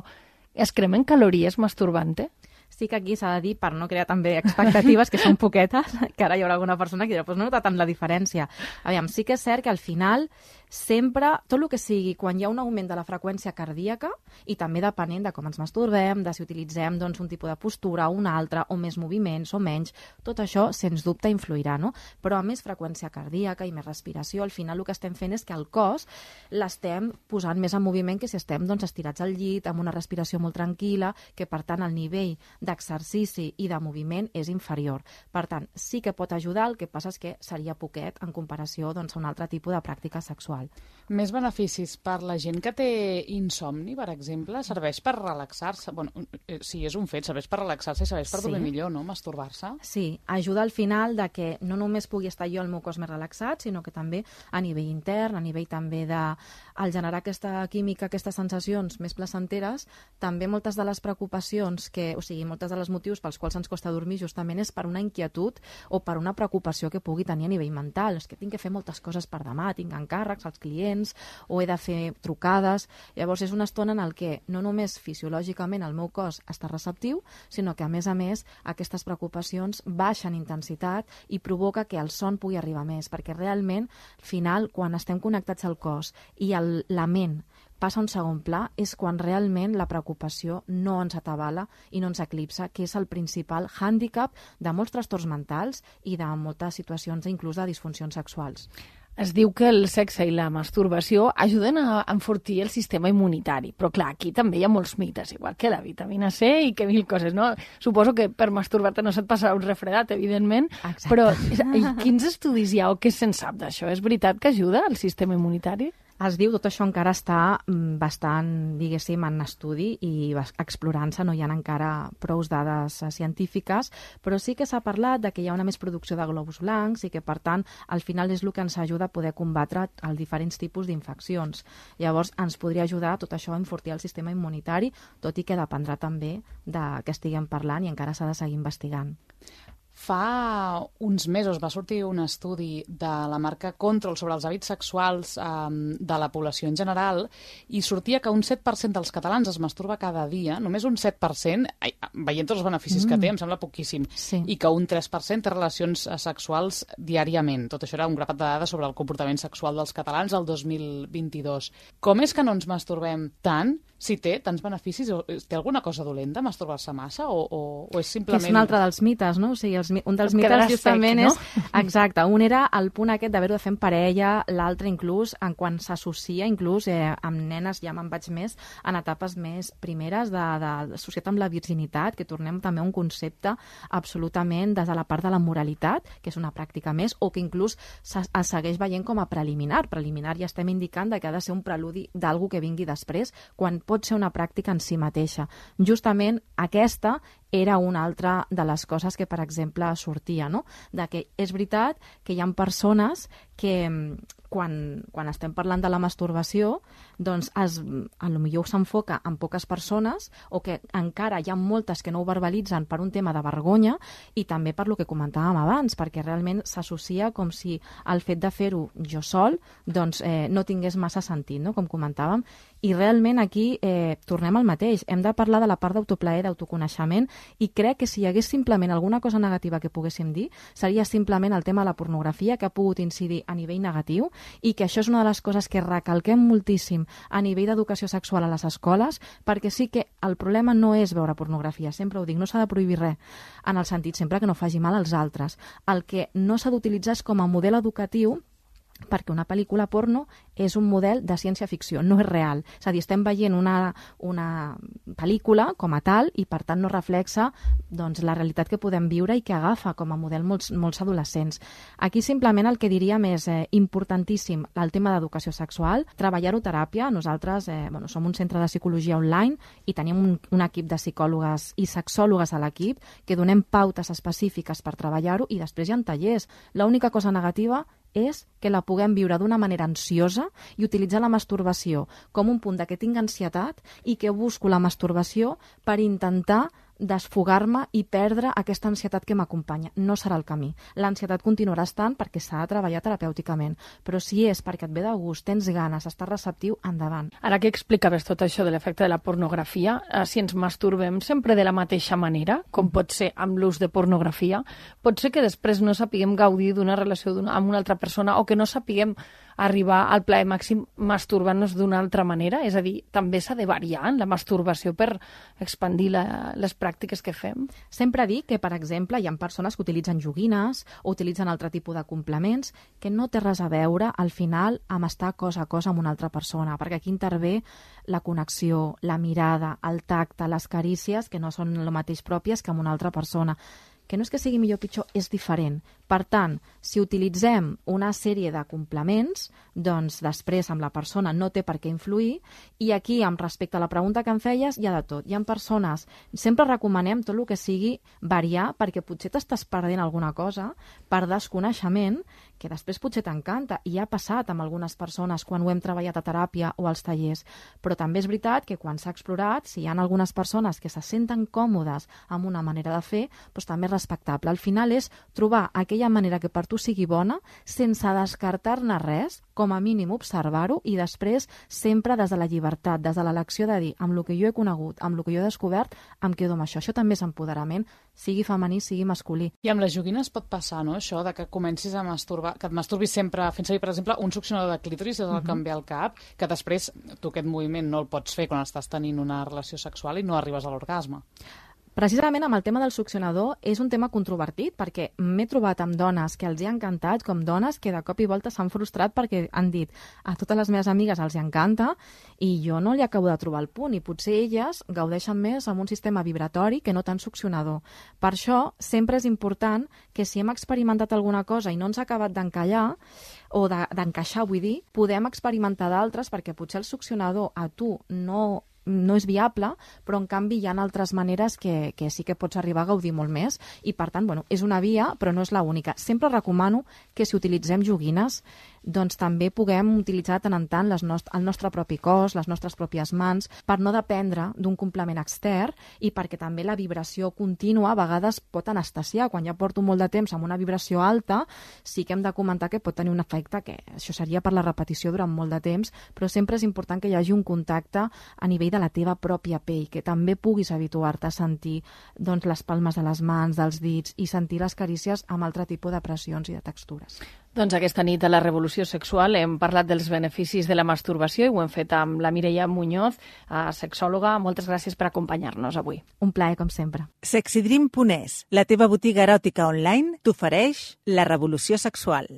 es cremen calories masturbant-te?
Sí que aquí s'ha de dir, per no crear també expectatives, que són poquetes, que ara hi haurà alguna persona que dirà, doncs no nota tant la diferència. Aviam, sí que és cert que al final sempre, tot el que sigui, quan hi ha un augment de la freqüència cardíaca, i també depenent de com ens masturbem, de si utilitzem doncs, un tipus de postura o un altre, o més moviments o menys, tot això, sens dubte, influirà, no? Però a més freqüència cardíaca i més respiració, al final el que estem fent és que el cos l'estem posant més en moviment que si estem doncs, estirats al llit, amb una respiració molt tranquil·la, que per tant el nivell d'exercici i de moviment és inferior. Per tant, sí que pot ajudar, el que passa és que seria poquet en comparació doncs, a un altre tipus de pràctica sexual.
Més beneficis per la gent que té insomni, per exemple, serveix per relaxar-se? Bueno, sí, és un fet, serveix per relaxar-se i serveix per sí. dormir millor, no?, masturbar-se.
Sí, ajuda al final de que no només pugui estar jo el meu cos més relaxat, sinó que també a nivell intern, a nivell també de al generar aquesta química, aquestes sensacions més placenteres, també moltes de les preocupacions que, o sigui, moltes de les motius pels quals ens costa dormir justament és per una inquietud o per una preocupació que pugui tenir a nivell mental. És que tinc que fer moltes coses per demà, tinc encàrrecs als clients o he de fer trucades. Llavors és una estona en el que no només fisiològicament el meu cos està receptiu, sinó que a més a més aquestes preocupacions baixen intensitat i provoca que el son pugui arribar més, perquè realment al final quan estem connectats al cos i el, la ment passa a un segon pla, és quan realment la preocupació no ens atabala i no ens eclipsa, que és el principal hàndicap de molts trastorns mentals i de moltes situacions inclús de disfuncions sexuals.
Es diu que el sexe i la masturbació ajuden a enfortir el sistema immunitari, però clar, aquí també hi ha molts mites, igual que la vitamina C i que mil coses, no? Suposo que per masturbar-te no se't passarà un refredat, evidentment, Exacte. Però quins estudis hi ha o què se'n sap d'això? És veritat que ajuda al sistema immunitari?
Es diu, tot això encara està bastant, diguéssim, en estudi i explorant-se, no hi ha encara prou dades científiques, però sí que s'ha parlat de que hi ha una més producció de glòbuls blancs i que, per tant, al final és el que ens ajuda a poder combatre els diferents tipus d'infeccions. Llavors, ens podria ajudar tot això a enfortir el sistema immunitari, tot i que dependrà també de què estiguem parlant i encara s'ha de seguir investigant.
Fa uns mesos va sortir un estudi de la marca Control sobre els hàbits sexuals eh, de la població en general i sortia que un set per cent dels catalans es masturba cada dia, només un set per cent, ai, veient tots els beneficis mm. que té, em sembla poquíssim, sí. I que un tres per cent té relacions sexuals diàriament. Tot això era un grapat de dades sobre el comportament sexual dels catalans el dos mil vint-i-dos. Com és que no ens masturbem tant? Si té tants beneficis, té alguna cosa dolenta masturbar-se massa o, o, o és simplement...
Que és un altre dels mites, no? O sigui, els, un dels mites justament sec, no? és... Exacte, un era el punt aquest d'haver-ho de fer en parella, l'altre inclús en quan s'associa, inclús eh, amb nenes, ja me'n vaig més, en etapes més primeres de, de, associat amb la virginitat, que tornem també a un concepte absolutament des de la part de la moralitat, que és una pràctica més, o que inclús es segueix veient com a preliminar. Preliminar ja estem indicant que ha de ser un preludi d'algú que vingui després, quan pot ser una pràctica en si mateixa. Justament aquesta era una altra de les coses que, per exemple, sortia, no? De que és veritat que hi ha persones que quan, quan estem parlant de la masturbació doncs es, a lo millor s'enfoca en poques persones o que encara hi ha moltes que no ho verbalitzen per un tema de vergonya i també per lo que comentàvem abans, perquè realment s'associa com si el fet de fer-ho jo sol doncs, eh, no tingués massa sentit, no? Com comentàvem, i realment aquí eh, tornem al mateix. Hem de parlar de la part d'autoplaer, d'autoconeixement, i crec que si hi hagués simplement alguna cosa negativa que poguéssim dir, seria simplement el tema de la pornografia, que ha pogut incidir a nivell negatiu, i que això és una de les coses que recalquem moltíssim a nivell d'educació sexual a les escoles, perquè sí que el problema no és veure pornografia, sempre ho dic, no s'ha de prohibir res, en el sentit sempre que no faci mal als altres. El que no s'ha d'utilitzar és com a model educatiu, perquè una pel·lícula porno és un model de ciència-ficció, no és real. És a dir, estem veient una, una pel·lícula com a tal i, per tant, no reflexa doncs, la realitat que podem viure i que agafa com a model molts, molts adolescents. Aquí simplement el que diríem és eh, importantíssim el tema d'educació sexual, treballar-ho teràpia. Nosaltres eh, bueno, som un centre de psicologia online i tenim un, un equip de psicòlogues i sexòlogues a l'equip que donem pautes específiques per treballar-ho i després hi ha tallers. L'única cosa negativa és que la puguem viure d'una manera ansiosa i utilitzar la masturbació com un punt de que tinc ansietat i que busco la masturbació per intentar desfogar-me i perdre aquesta ansietat que m'acompanya. No serà el camí. L'ansietat continuarà estant perquè s'ha de treballar terapèuticament, però si és perquè et ve de gust, tens ganes, estàs receptiu, endavant.
Ara que explicaves tot això de l'efecte de la pornografia, eh, si ens masturbem sempre de la mateixa manera, com pot ser amb l'ús de pornografia, pot ser que després no sapiguem gaudir d'una relació amb una altra persona o que no sapiguem arribar al plaer màxim masturbant-nos d'una altra manera? És a dir, també s'ha de variar en la masturbació per expandir la, les pràctiques que fem?
Sempre dic que, per exemple, hi ha persones que utilitzen joguines o utilitzen altre tipus de complements que no té res a veure, al final, amb estar cos a cos amb una altra persona, perquè aquí intervé la connexió, la mirada, el tacte, les carícies, que no són el mateix pròpies que amb una altra persona. Que no és que sigui millor o pitjor, és diferent. Per tant, si utilitzem una sèrie de complements, doncs després amb la persona no té per què influir, i aquí, amb respecte a la pregunta que em feies, hi ha de tot. Hi ha persones, sempre recomanem tot el que sigui variar, perquè potser t'estàs perdent alguna cosa per desconeixement, que després potser t'encanta, i ha passat amb algunes persones quan ho hem treballat a teràpia o als tallers. Però també és veritat que quan s'ha explorat, si hi ha algunes persones que se senten còmodes amb una manera de fer, doncs també és respectable. Al final és trobar aquella manera que per tu sigui bona, sense descartar-ne res, com a mínim observar-ho, i després sempre des de la llibertat, des de l'elecció de dir, amb el que jo he conegut, amb el que jo he descobert, em quedo amb això. Això també és empoderament, sigui femení, sigui masculí.
I amb les joguines pot passar, no?, això de que comencis a masturbar, que et masturbis sempre fent servir, per exemple, un succionador de clítoris des del que em ve al cap, que després tu aquest moviment no el pots fer quan estàs tenint una relació sexual i no arribes a l'orgasme.
Precisament amb el tema del succionador és un tema controvertit, perquè m'he trobat amb dones que els hi ha encantat, com dones que de cop i volta s'han frustrat perquè han dit a totes les meves amigues els hi encanta i jo no li acabo de trobar el punt, i potser elles gaudeixen més amb un sistema vibratori que no tant succionador. Per això sempre és important que si hem experimentat alguna cosa i no ens ha acabat d'encallar, o d'encaixar, vull dir, podem experimentar d'altres, perquè potser el succionador a tu no no és viable, però en canvi hi ha altres maneres que, que sí que pots arribar a gaudir molt més, i per tant, bueno, és una via, però no és l'única. Sempre recomano que si utilitzem joguines, doncs també puguem utilitzar tant en tant les nost- el nostre propi cos, les nostres pròpies mans, per no dependre d'un complement extern, i perquè també la vibració contínua a vegades pot anestesiar. Quan ja porto molt de temps amb una vibració alta, sí que hem de comentar que pot tenir un efecte, que això seria per la repetició durant molt de temps, però sempre és important que hi hagi un contacte a nivell de la teva pròpia pell, que també puguis habituar-te a sentir doncs, les palmes de les mans, dels dits, i sentir les carícies amb altre tipus de pressions i de textures.
Doncs aquesta nit a la Revolució Sexual hem parlat dels beneficis de la masturbació i ho hem fet amb la Mireia Muñoz, sexòloga. Moltes gràcies per acompanyar-nos avui.
Un plaer, com sempre.
Sexydream punt es, la teva botiga eròtica online, t'ofereix la Revolució Sexual.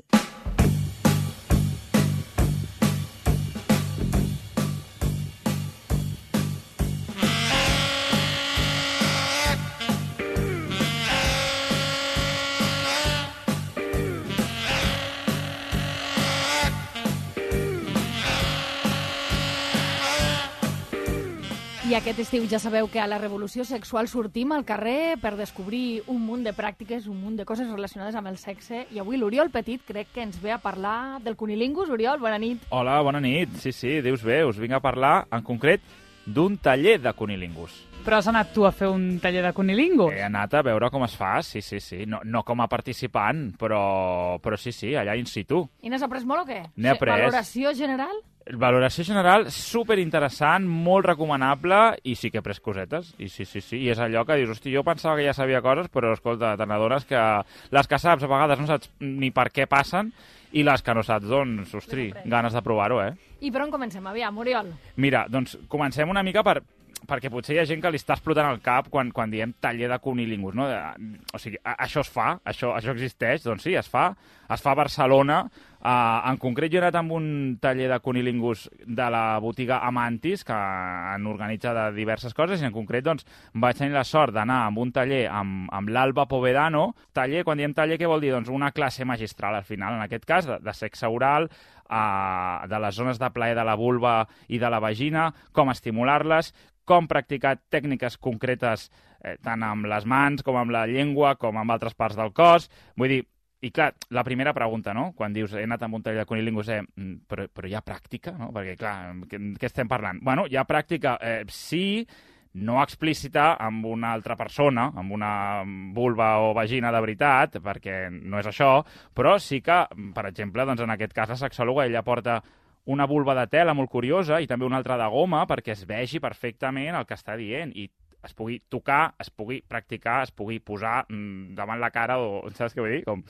I aquest estiu ja sabeu que a la Revolució Sexual sortim al carrer per descobrir un munt de pràctiques, un munt de coses relacionades amb el sexe. I avui l'Oriol Petit crec que ens ve a parlar del cunilingus. Oriol, bona nit.
Hola, bona nit. Sí, sí, dius bé, us vinc a parlar en concret d'un taller de cunilingus.
Però has anat tu a fer un taller de cunilingus?
He anat a veure com es fa, sí, sí, sí. No, no com a participant, però, però sí, sí, allà in situ.
I n'has après molt o què?
N'he après.
Valoració general?
Valoració general, superinteressant, molt recomanable, i sí que he pres cosetes. I sí, sí, sí, i és allò que dius, hosti, jo pensava que ja sabia coses, però escolta, te n'adones que les que saps a vegades no saps ni per què passen, i les que no saps, doncs, ostri, ganes de provar-ho, eh?
I per on comencem? Aviam, Oriol.
Mira, doncs comencem una mica per... perquè potser hi ha gent que li està explotant el cap quan, quan diem taller de cunilingus, no? O sigui, això es fa, això, això existeix, doncs sí, es fa, es fa a Barcelona. Uh, en concret, jo he anat amb un taller de cunilingus de la botiga Amantis, que han organitzat de diverses coses, i en concret, doncs, vaig tenir la sort d'anar amb un taller amb, amb l'Alba Povedano. Taller, quan diem taller, què vol dir? Doncs una classe magistral, al final, en aquest cas, de, de sexe oral, uh, de les zones de plaer de la vulva i de la vagina, com estimular-les, com practicar tècniques concretes eh, tant amb les mans com amb la llengua, com amb altres parts del cos. Vull dir, i clar, la primera pregunta, no?, quan dius he anat amb un taller de cunilingus, eh, però, però hi ha pràctica, no? Perquè, clar, què, què estem parlant? Bueno, hi ha pràctica, eh, sí, no explícita amb una altra persona, amb una vulva o vagina de veritat, perquè no és això, però sí que, per exemple, doncs en aquest cas la sexòloga, ella porta una vulva de tela molt curiosa i també una altra de goma perquè es vegi perfectament el que està dient i es pugui tocar, es pugui practicar, es pugui posar mm, davant la cara o, saps què vull dir? Com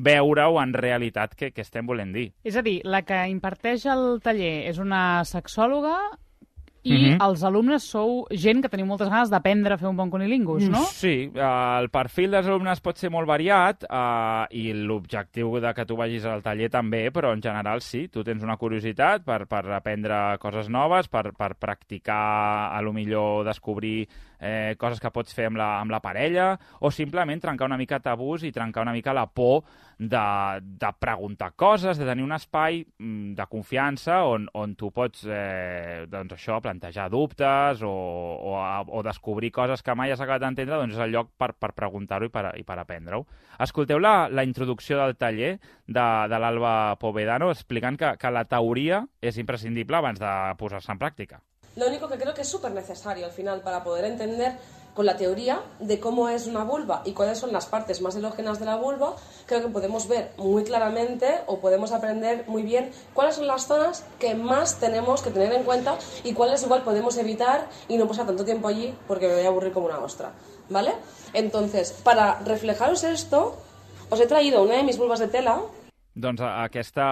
veure-ho en realitat què, què estem volent dir.
És a dir, la que imparteix el taller és una sexòloga i mm-hmm. els alumnes sou gent que teniu moltes ganes d'aprendre a fer un bon cunilingus, no?
Sí, el perfil dels alumnes pot ser molt variat eh, i l'objectiu de que tu vagis al taller també, però en general sí, tu tens una curiositat per, per aprendre coses noves, per, per practicar, a lo millor descobrir eh, coses que pots fer amb la, amb la parella, o simplement trencar una mica tabús i trencar una mica la por de, de preguntar coses, de tenir un espai de confiança on, on tu pots, eh, doncs això, plantejar dubtes o, o, o descobrir coses que mai has acabat d'entendre, doncs és el lloc per, per preguntar-ho i per, i per aprendre-ho. Escolteu la, la introducció del taller de, de l'Alba Povedano explicant que, que la teoria és imprescindible abans de posar-se en pràctica.
Lo único que creo que es súper necesario al final para poder entender con la teoría de cómo es una vulva y cuáles son las partes más erógenas de la vulva, creo que podemos ver muy claramente o podemos aprender muy bien cuáles son las zonas que más tenemos que tener en cuenta y cuáles igual podemos evitar y no pasar tanto tiempo allí porque me voy a aburrir como una ostra, ¿vale? Entonces, para reflejaros esto, os he traído una de mis vulvas de tela.
Doncs aquesta,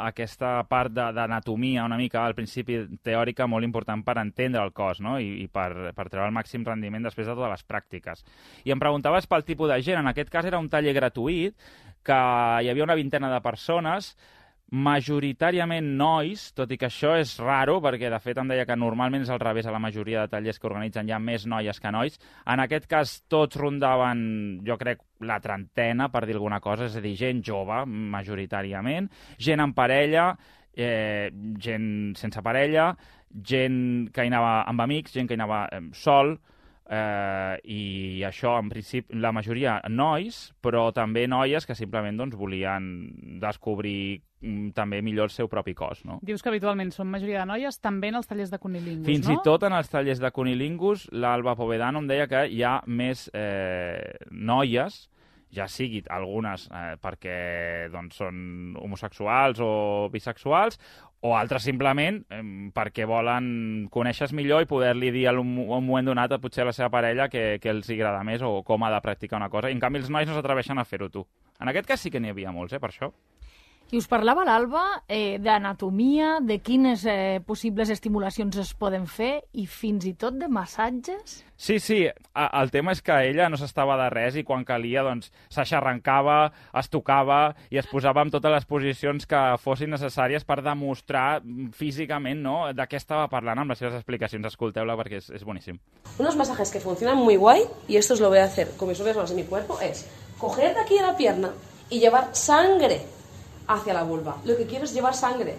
aquesta part d'anatomia una mica al principi teòrica molt important per entendre el cos, no? I, i per, per treure el màxim rendiment després de totes les pràctiques. I em preguntaves pel tipus de gent. En aquest cas era un taller gratuït, que hi havia una vintena de persones, majoritàriament nois, tot i que això és raro, perquè de fet em deia que normalment és al revés a la majoria de tallers que organitzen, hi ha més noies que nois. En aquest cas tots rondaven, jo crec, la trentena, per dir alguna cosa, és a dir, gent jove, majoritàriament, gent en parella, eh, gent sense parella, gent que hi anava amb amics, gent que hi anava eh, sol, Eh, i això, en principi, la majoria nois, però també noies que simplement doncs, volien descobrir mm, també millor el seu propi cos, no?
Dius que habitualment són majoria de noies també en els tallers de cunilingus,
Fins
no?
i tot en els tallers de cunilingus, l'Alba Povedano em deia que hi ha més eh, noies, ja sigui algunes eh, perquè doncs, són homosexuals o bisexuals, o altres simplement eh, perquè volen conèixer millor i poder-li dir en un, un moment donat a potser a la seva parella que, que els agrada més o com ha de practicar una cosa. I en canvi els nois no s'atreveixen a fer-ho, tu. En aquest cas sí que n'hi havia molts, eh, per això.
I us parlava l'Alba eh, d'anatomia, de quines eh, possibles estimulacions es poden fer i fins i tot de massatges?
Sí, sí, el tema és que ella no s'estava de res i quan calia doncs s'aixarrancava, es tocava i es posava en totes les posicions que fossin necessàries per demostrar físicament, no?, de què estava parlant amb les seves explicacions. Escolteu-la perquè és, és boníssim.
Unos masajes que funcionan muy guay, y esto os lo voy a hacer con mis propias manos en mi cuerpo, es coger de aquí de la pierna y llevar sangre hacia la vulva. Lo que quiero es llevar sangre.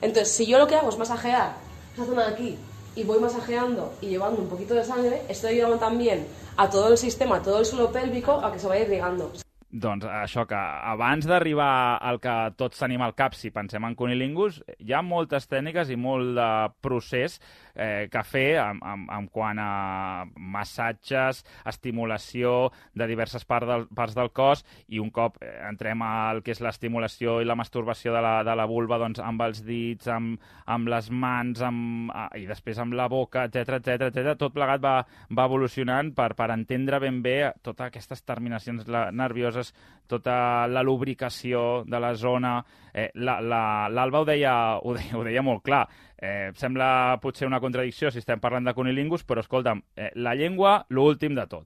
Entonces, si yo lo que hago es masajear esa zona de aquí y voy masajeando y llevando un poquito de sangre, estoy ayudando también a todo el sistema, a todo el suelo pélvico a que se vaya irrigando.
Doncs això, que abans d'arribar al que tots tenim al cap, si pensem en cunilingus, hi ha moltes tècniques i molt de procés eh, que fer en, en, en quant a massatges, estimulació de diverses parts del, parts del cos, i un cop eh, entrem al que és l'estimulació i la masturbació de la, de la vulva, doncs amb els dits, amb, amb les mans, amb, i després amb la boca, etcètera, etcètera, etcètera, tot plegat va, va evolucionant per, per entendre ben bé totes aquestes terminacions nervioses, tota la lubricació de la zona. Eh, L'Alba la, la, ho, deia, ho, deia, ho deia molt clar. Eh, sembla potser una contradicció si estem parlant de cunilingus, però escolta'm, eh, la llengua, l'últim de tot.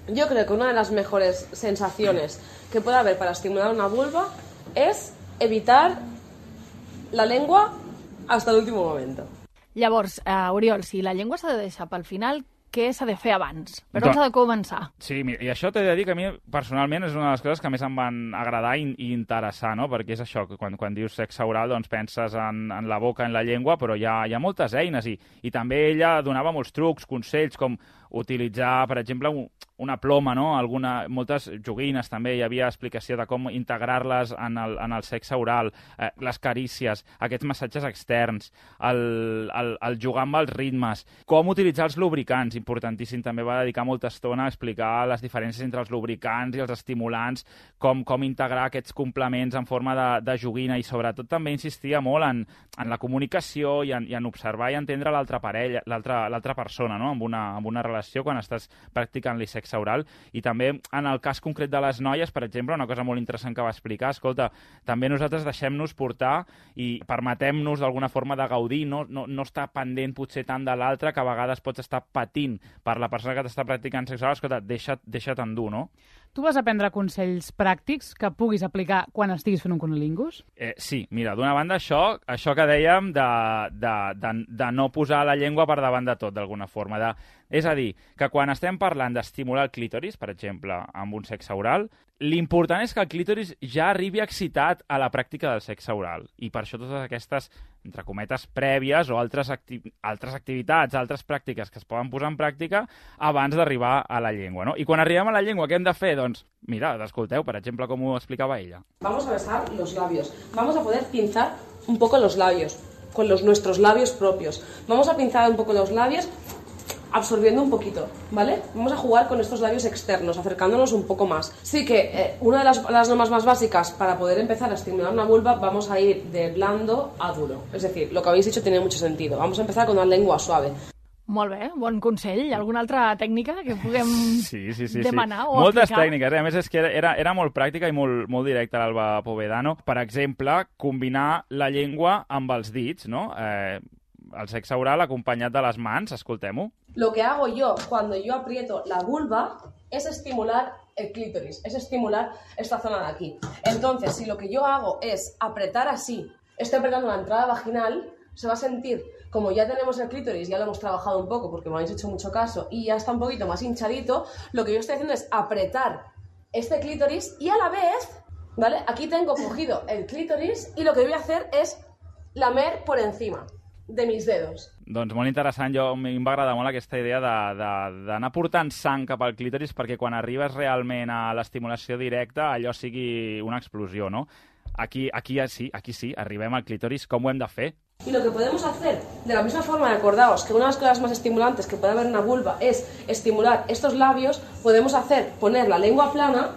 Yo creo que una de las mejores sensaciones que puede haber para estimular una vulva es evitar la lengua hasta el último momento.
Llavors, uh, Oriol, si la llengua s'ha de deixar pel final, què s'ha de fer abans? Per on s'ha de començar?
Sí, i això t'he de dir que a mi personalment és una de les coses que més em van agradar i, i interessar, no? Perquè és això, que quan, quan dius sexe oral doncs penses en, en la boca, en la llengua, però hi ha, hi ha moltes eines i, i també ella donava molts trucs, consells, com utilitzar, per exemple, un, una ploma, no? Alguna, moltes joguines també, hi havia explicació de com integrar-les en el, en el sexe oral, eh, les carícies, aquests massatges externs, el, el, el jugar amb els ritmes, com utilitzar els lubricants, importantíssim, també va dedicar molta estona a explicar les diferències entre els lubricants i els estimulants, com, com integrar aquests complements en forma de, de joguina, i sobretot també insistia molt en, en la comunicació i en, i en observar i entendre l'altra parella, l'altra persona, no? amb, una, amb una relació quan estàs practicant-li sexe oral. I també en el cas concret de les noies, per exemple, una cosa molt interessant que va explicar, escolta, també nosaltres deixem-nos portar i permetem-nos d'alguna forma de gaudir, no, no, no estar pendent potser tant de l'altre, que a vegades pots estar patint per la persona que t'està practicant sexe oral, escolta, deixa't, deixa't endur, no?
Tu vas aprendre consells pràctics que puguis aplicar quan estiguis fent un cunilingus?
Eh, sí, mira, d'una banda això, això que dèiem de, de, de, de no posar la llengua per davant de tot, d'alguna forma. De, és a dir, que quan estem parlant d'estimular el clítoris, per exemple, amb un sexe oral, l'important és que el clítoris ja arribi excitat a la pràctica del sexe oral. I per això totes aquestes, entre cometes, prèvies o altres, acti altres activitats, altres pràctiques que es poden posar en pràctica abans d'arribar a la llengua, no? I quan arribem a la llengua, què hem de fer? Doncs, mira, escolteu, per exemple, com ho explicava ella.
Vamos a besar los labios. Vamos a poder pinzar un poco los labios, con los nuestros labios propios. Vamos a pinzar un poco los labios absorbiendo un poquito, ¿vale? Vamos a jugar con estos labios externos, acercándonos un poco más. Sí que eh, una de las, las normas más básicas para poder empezar a estimular una vulva, vamos a ir de blando a duro. Es decir, lo que habéis dicho tiene mucho sentido. Vamos a empezar con una lengua suave.
Molt bé, bon consell. Alguna altra tècnica que puguem
sí, sí, sí,
demanar
sí.
o
Moltes
aplicar?
tècniques, eh? A més és que era, era molt pràctica i molt, molt directa l'Alba Povedano. Per exemple, combinar la llengua amb els dits, no? Eh, el sexe oral acompanyat de les mans, escoltem-ho.
Lo que hago yo cuando yo aprieto la vulva es estimular el clítoris, es estimular esta zona de aquí. Entonces, si lo que yo hago es apretar así, estoy apretando la entrada vaginal, se va a sentir, como ya tenemos el clítoris, ya lo hemos trabajado un poco porque me habéis hecho mucho caso y ya está un poquito más hinchadito, lo que yo estoy haciendo es apretar este clítoris y a la vez, ¿vale? Aquí tengo cogido el clítoris y lo que voy a hacer es lamer por encima de mis dedos.
Doncs molt interessant, jo, a mi em va agradar molt aquesta idea d'anar portant sang cap al clítoris perquè quan arribes realment a l'estimulació directa allò sigui una explosió, no? Aquí, aquí sí, aquí sí, arribem al clítoris, com ho hem de fer?
Y lo que podemos hacer, de la misma forma, acordaos que una de las cosas más estimulantes que puede haber en una vulva es estimular estos labios, podemos hacer, poner la lengua plana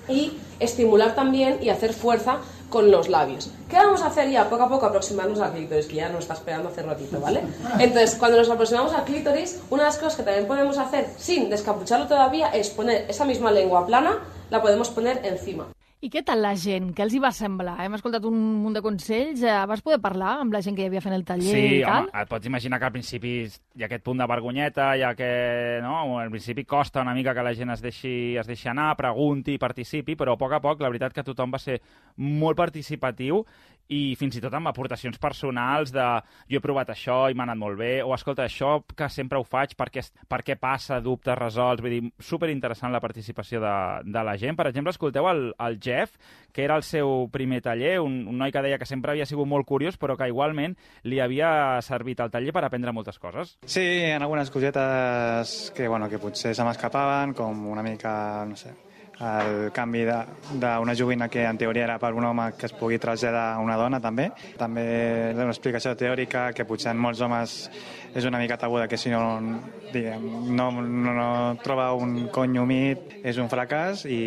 y estimular también y hacer fuerza con los labios. ¿Qué vamos a hacer ya? Poco a poco aproximarnos al clítoris, que ya nos está esperando hace ratito, ¿vale? Entonces, cuando nos aproximamos al clítoris, una de las cosas que también podemos hacer, sin descapucharlo todavía, es poner esa misma lengua plana, la podemos poner encima.
I què tal la gent? Què els hi va semblar? Hem escoltat un munt de consells. Vas poder parlar amb la gent que hi havia fent el taller
sí,
i tal?
Sí, home, et pots imaginar que al principi hi ha aquest punt de vergonyeta, ja que no, al principi costa una mica que la gent es deixi, es deixi anar, pregunti, participi, però a poc a poc la veritat que tothom va ser molt participatiu i fins i tot amb aportacions personals de jo he provat això i m'ha anat molt bé, o escolta, això que sempre ho faig, per què, per què passa, dubtes resolts, vull dir, superinteressant la participació de, de la gent. Per exemple, escolteu el, el Jeff, que era el seu primer taller, un, un noi que deia que sempre havia sigut molt curiós, però que igualment li havia servit el taller per aprendre moltes coses.
Sí, en algunes cosetes que, bueno, que potser se m'escapaven, com una mica, no sé, el canvi d'una joguina que en teoria era per un home que es pugui traslladar a una dona també. També una explicació teòrica que potser en molts homes és una mica tabuda, que si no, diguem, no, no, no troba un cony humit és un fracàs, i,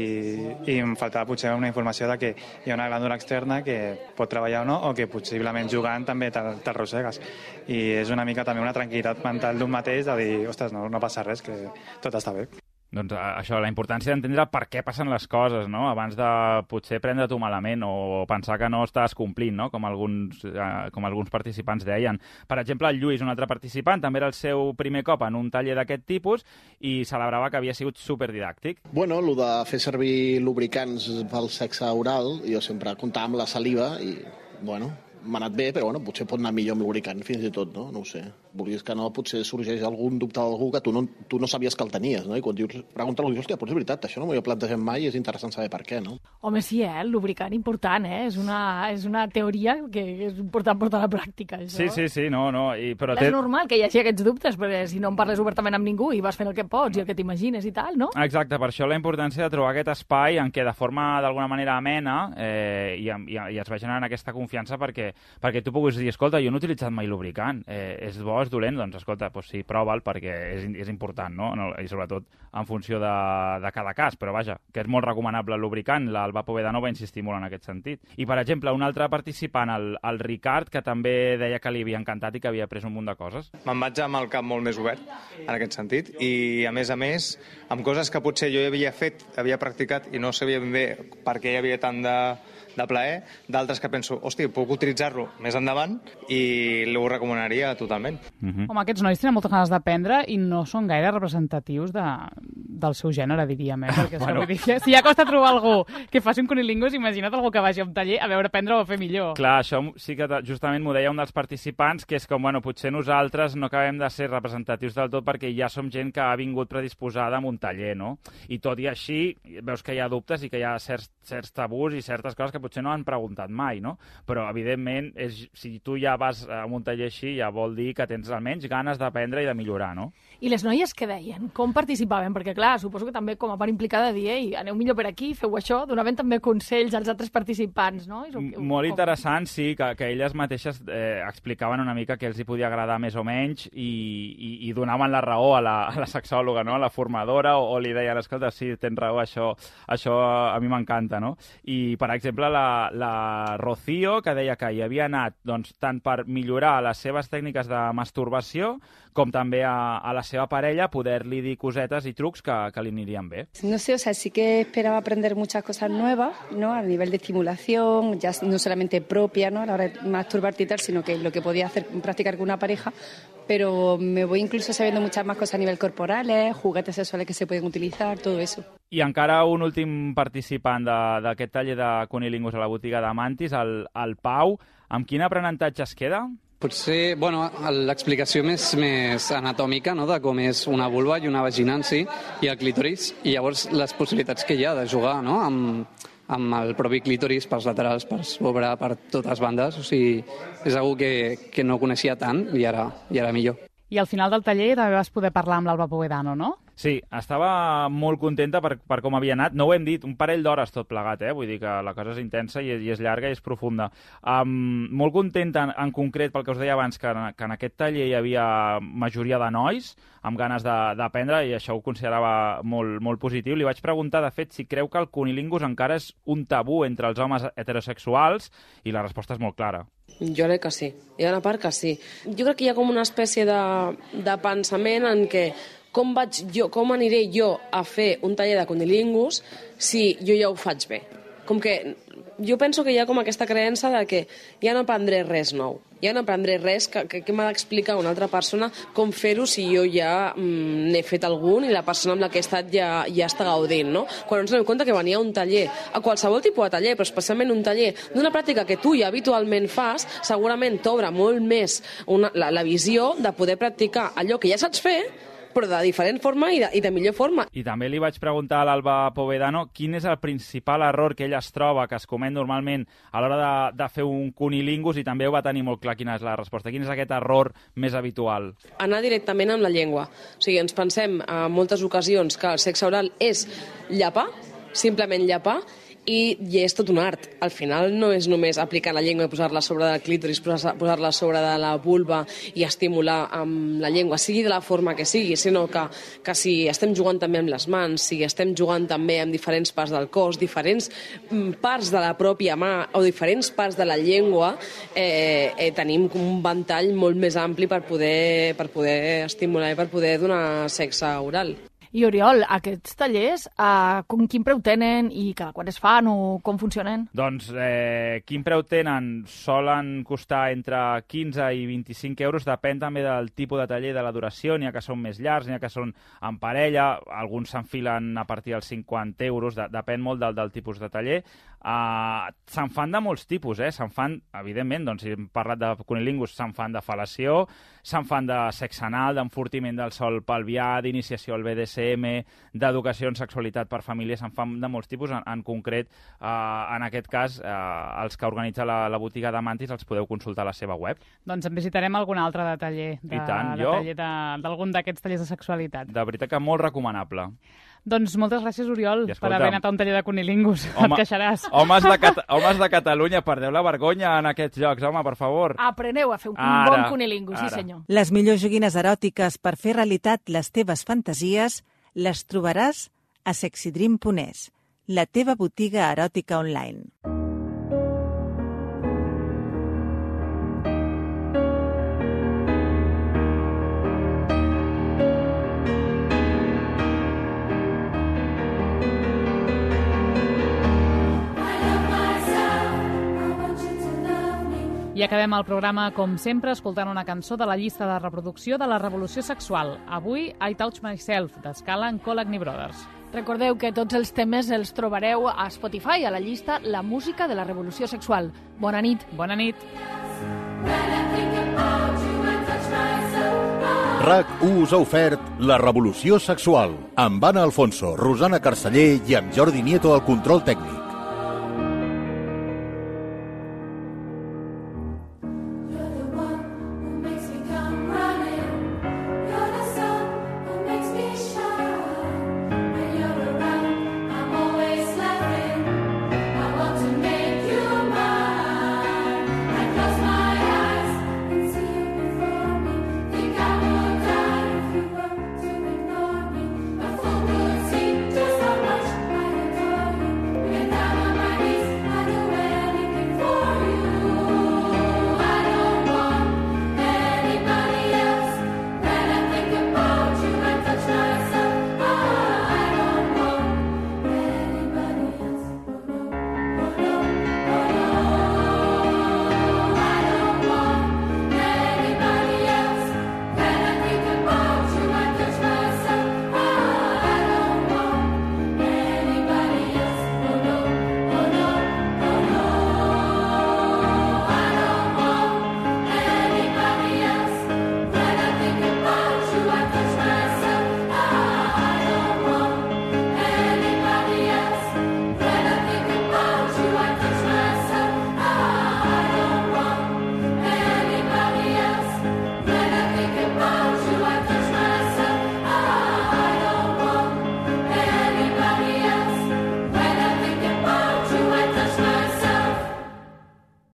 i em faltava potser una informació de que hi ha una glàndula externa que pot treballar o no, o que possiblement jugant també t'arrossegues. I és una mica també una tranquil·litat mental d'un mateix de dir, ostres, no, no passa res, que tot està bé.
Doncs això, la importància d'entendre per què passen les coses, no? Abans de potser prendre-t'ho malament o pensar que no estàs complint, no? Com alguns, eh, com alguns participants deien. Per exemple, el Lluís, un altre participant, també era el seu primer cop en un taller d'aquest tipus i celebrava que havia sigut superdidàctic.
Bueno, el de fer servir lubricants pel sexe oral, jo sempre comptava amb la saliva i, bueno, m'ha anat bé, però bueno, potser pot anar millor amb lubricant fins i tot, no? No ho sé. Vulguis que no, potser sorgeix algun dubte d'algú que tu no, tu no sabies que el tenies, no? I quan dius, pregunta-lo, dius, hòstia, però és veritat, això no m'ho havia plantejat mai i és interessant saber per què, no?
Home, sí, eh? El lubricant important, eh? És una, és una teoria que és important portar a la pràctica, això.
Sí, sí, sí, no, no. I, però
és
té...
normal que hi hagi aquests dubtes, perquè si no en parles obertament amb ningú i vas fent el que pots i el que t'imagines i tal, no?
Exacte, per això la importància de trobar aquest espai en què de forma d'alguna manera amena eh, i, i, i es va generant aquesta confiança perquè, perquè tu puguis dir, escolta, jo no he utilitzat mai lubricant, eh, és bo, és dolent, doncs escolta, doncs sí, prova'l perquè és, és important, no? I sobretot en funció de, de cada cas, però vaja, que és molt recomanable el lubricant, el Vapovedano va insistir molt en aquest sentit. I, per exemple, un altre participant, el, el Ricard, que també deia que li havia encantat i que havia après un munt de coses.
Me'n vaig amb el cap molt més obert, en aquest sentit, i a més a més, amb coses que potser jo havia fet, havia practicat i no sabia ben bé per què hi havia tant de de plaer, d'altres que penso, hòstia, puc utilitzar-lo més endavant i ho recomanaria totalment.
Mm-hmm. Home, aquests nois tenen moltes ganes d'aprendre i no són gaire representatius de, del seu gènere, diríem, eh? Perquè bueno. Dir, si ja costa trobar algú que faci un cunilingus, imagina't algú que vagi a un taller a veure aprendre o a fer millor.
Clar, això sí que justament m'ho deia un dels participants, que és com, bueno, potser nosaltres no acabem de ser representatius del tot perquè ja som gent que ha vingut predisposada a un taller, no? I tot i així, veus que hi ha dubtes i que hi ha certs, certs tabús i certes coses que potser no han preguntat mai, no? Però, evidentment, és, si tu ja vas a un taller així, ja vol dir que tens almenys ganes d'aprendre i de millorar, no?
I les noies què deien? Com participaven? Perquè, clar, suposo que també com a part implicada de dir, ei, aneu millor per aquí, feu això, donaven també consells als altres participants, no? I
M Molt interessant, sí, que, que elles mateixes eh, explicaven una mica què els hi podia agradar més o menys i, i, i donaven la raó a la, a la sexòloga, no? A la formadora, o, o li deien, escolta, sí, tens raó, això, això a mi m'encanta, no? I, per exemple, la, la Rocío, que deia que hi havia anat doncs, tant per millorar les seves tècniques de masturbació com també a, a la seva parella poder-li dir cosetes i trucs que, que li anirien bé.
No sé, o sea, sí que esperaba aprender muchas cosas nuevas, ¿no? A nivel de estimulación, ya no solamente propia, ¿no? A la hora de masturbarte y tal, sino que lo que podía hacer, practicar con una pareja, pero me voy incluso sabiendo muchas más cosas a nivel corporales, juguetes sexuales que se pueden utilizar, todo eso.
I encara un últim participant d'aquest taller de cunilingus a la botiga de Mantis, el, el Pau. Amb quin aprenentatge es queda?
Potser, bueno, l'explicació més, més anatòmica, no?, de com és una vulva i una vagina en si, i el clítoris, i llavors les possibilitats que hi ha de jugar, no?, amb, amb el propi clítoris pels laterals, per sobre, per totes bandes. O sigui, és algo que, que no coneixia tant i ara, i ara millor.
I al final del taller també vas poder parlar amb l'Alba Povedano, no?
Sí, estava molt contenta per, per com havia anat. No ho hem dit, un parell d'hores tot plegat, eh? Vull dir que la cosa és intensa i, i és llarga i és profunda. Um, molt contenta en, en concret pel que us deia abans, que, que en aquest taller hi havia majoria de nois amb ganes d'aprendre i això ho considerava molt, molt positiu. Li vaig preguntar, de fet, si creu que el cunilingus encara és un tabú entre els homes heterosexuals i la resposta és molt clara.
Jo crec que sí. Hi ha una part que sí. Jo crec que hi ha com una espècie de, de pensament en què com, vaig jo, com aniré jo a fer un taller de cunilingus si jo ja ho faig bé. Com que jo penso que hi ha com aquesta creença de que ja no aprendré res nou, ja no aprendré res que, que, que m'ha d'explicar una altra persona com fer-ho si jo ja mm, n'he fet algun i la persona amb la que he estat ja, ja està gaudint, no? Quan ens donem compte que venia un taller, a qualsevol tipus de taller, però especialment un taller d'una pràctica que tu ja habitualment fas, segurament t'obre molt més una, la, la visió de poder practicar allò que ja saps fer, però de diferent forma i de, i de millor forma.
I també li vaig preguntar a l'Alba Povedano quin és el principal error que ella es troba, que es comet normalment a l'hora de, de fer un cunilingus, i també ho va tenir molt clar quina és la resposta. Quin és aquest error més habitual?
Anar directament amb la llengua. O sigui, ens pensem en moltes ocasions que el sexe oral és llepar, simplement llepar, i, i és tot un art. Al final no és només aplicar la llengua i posar-la sobre del clítoris, posar-la sobre de la vulva i estimular amb la llengua, sigui de la forma que sigui, sinó que, que si estem jugant també amb les mans, si estem jugant també amb diferents parts del cos, diferents parts de la pròpia mà o diferents parts de la llengua, eh, eh, tenim un ventall molt més ampli per poder, per poder estimular i per poder donar sexe oral.
I Oriol, aquests tallers, eh, com, quin preu tenen i cada quan es fan o com funcionen?
Doncs eh, quin preu tenen? Solen costar entre quinze i vint-i-cinc euros, depèn també del tipus de taller, de la duració, n'hi ha que són més llargs, n'hi ha que són en parella, alguns s'enfilen a partir dels cinquanta euros, de, depèn molt del, del tipus de taller. Uh, se'n fan de molts tipus, eh? Se'n fan, evidentment, doncs, si hem parlat de cunilingus, se'n fan de fel·lació, se'n fan de sexe anal, d'enfortiment del sòl pelvià, d'iniciació al B D S M, d'educació en sexualitat per família, se'n fan de molts tipus. En, en concret, uh, en aquest cas, uh, els que organitza la, la botiga de Mantis els podeu consultar a la seva web.
Doncs en visitarem algun altre de taller, de,
tant,
de
jo...
taller de, d'algun d'aquests tallers de sexualitat.
De veritat que molt recomanable.
Doncs moltes gràcies, Oriol,
escolta,
per haver anat a un taller de cunilingus.
Home,
et queixaràs.
Homes de, Cat homes de Catalunya, perdeu la vergonya en aquests jocs, home, per favor.
Apreneu a fer un
ara,
bon cunilingus, sí senyor.
Les millors joguines eròtiques per fer realitat les teves fantasies les trobaràs a sexydream punt es, la teva botiga eròtica online.
I acabem el programa, com sempre, escoltant una cançó de la llista de reproducció de la Revolució Sexual. Avui, I Touch Myself, d'Escala en Collagney Brothers.
Recordeu que tots els temes els trobareu a Spotify, a la llista La Música de la Revolució Sexual. Bona nit.
Bona nit.
RAC u us ha ofert La Revolució Sexual, amb Anna Alfonso, Rosana Carceller i amb Jordi Nieto al control tècnic.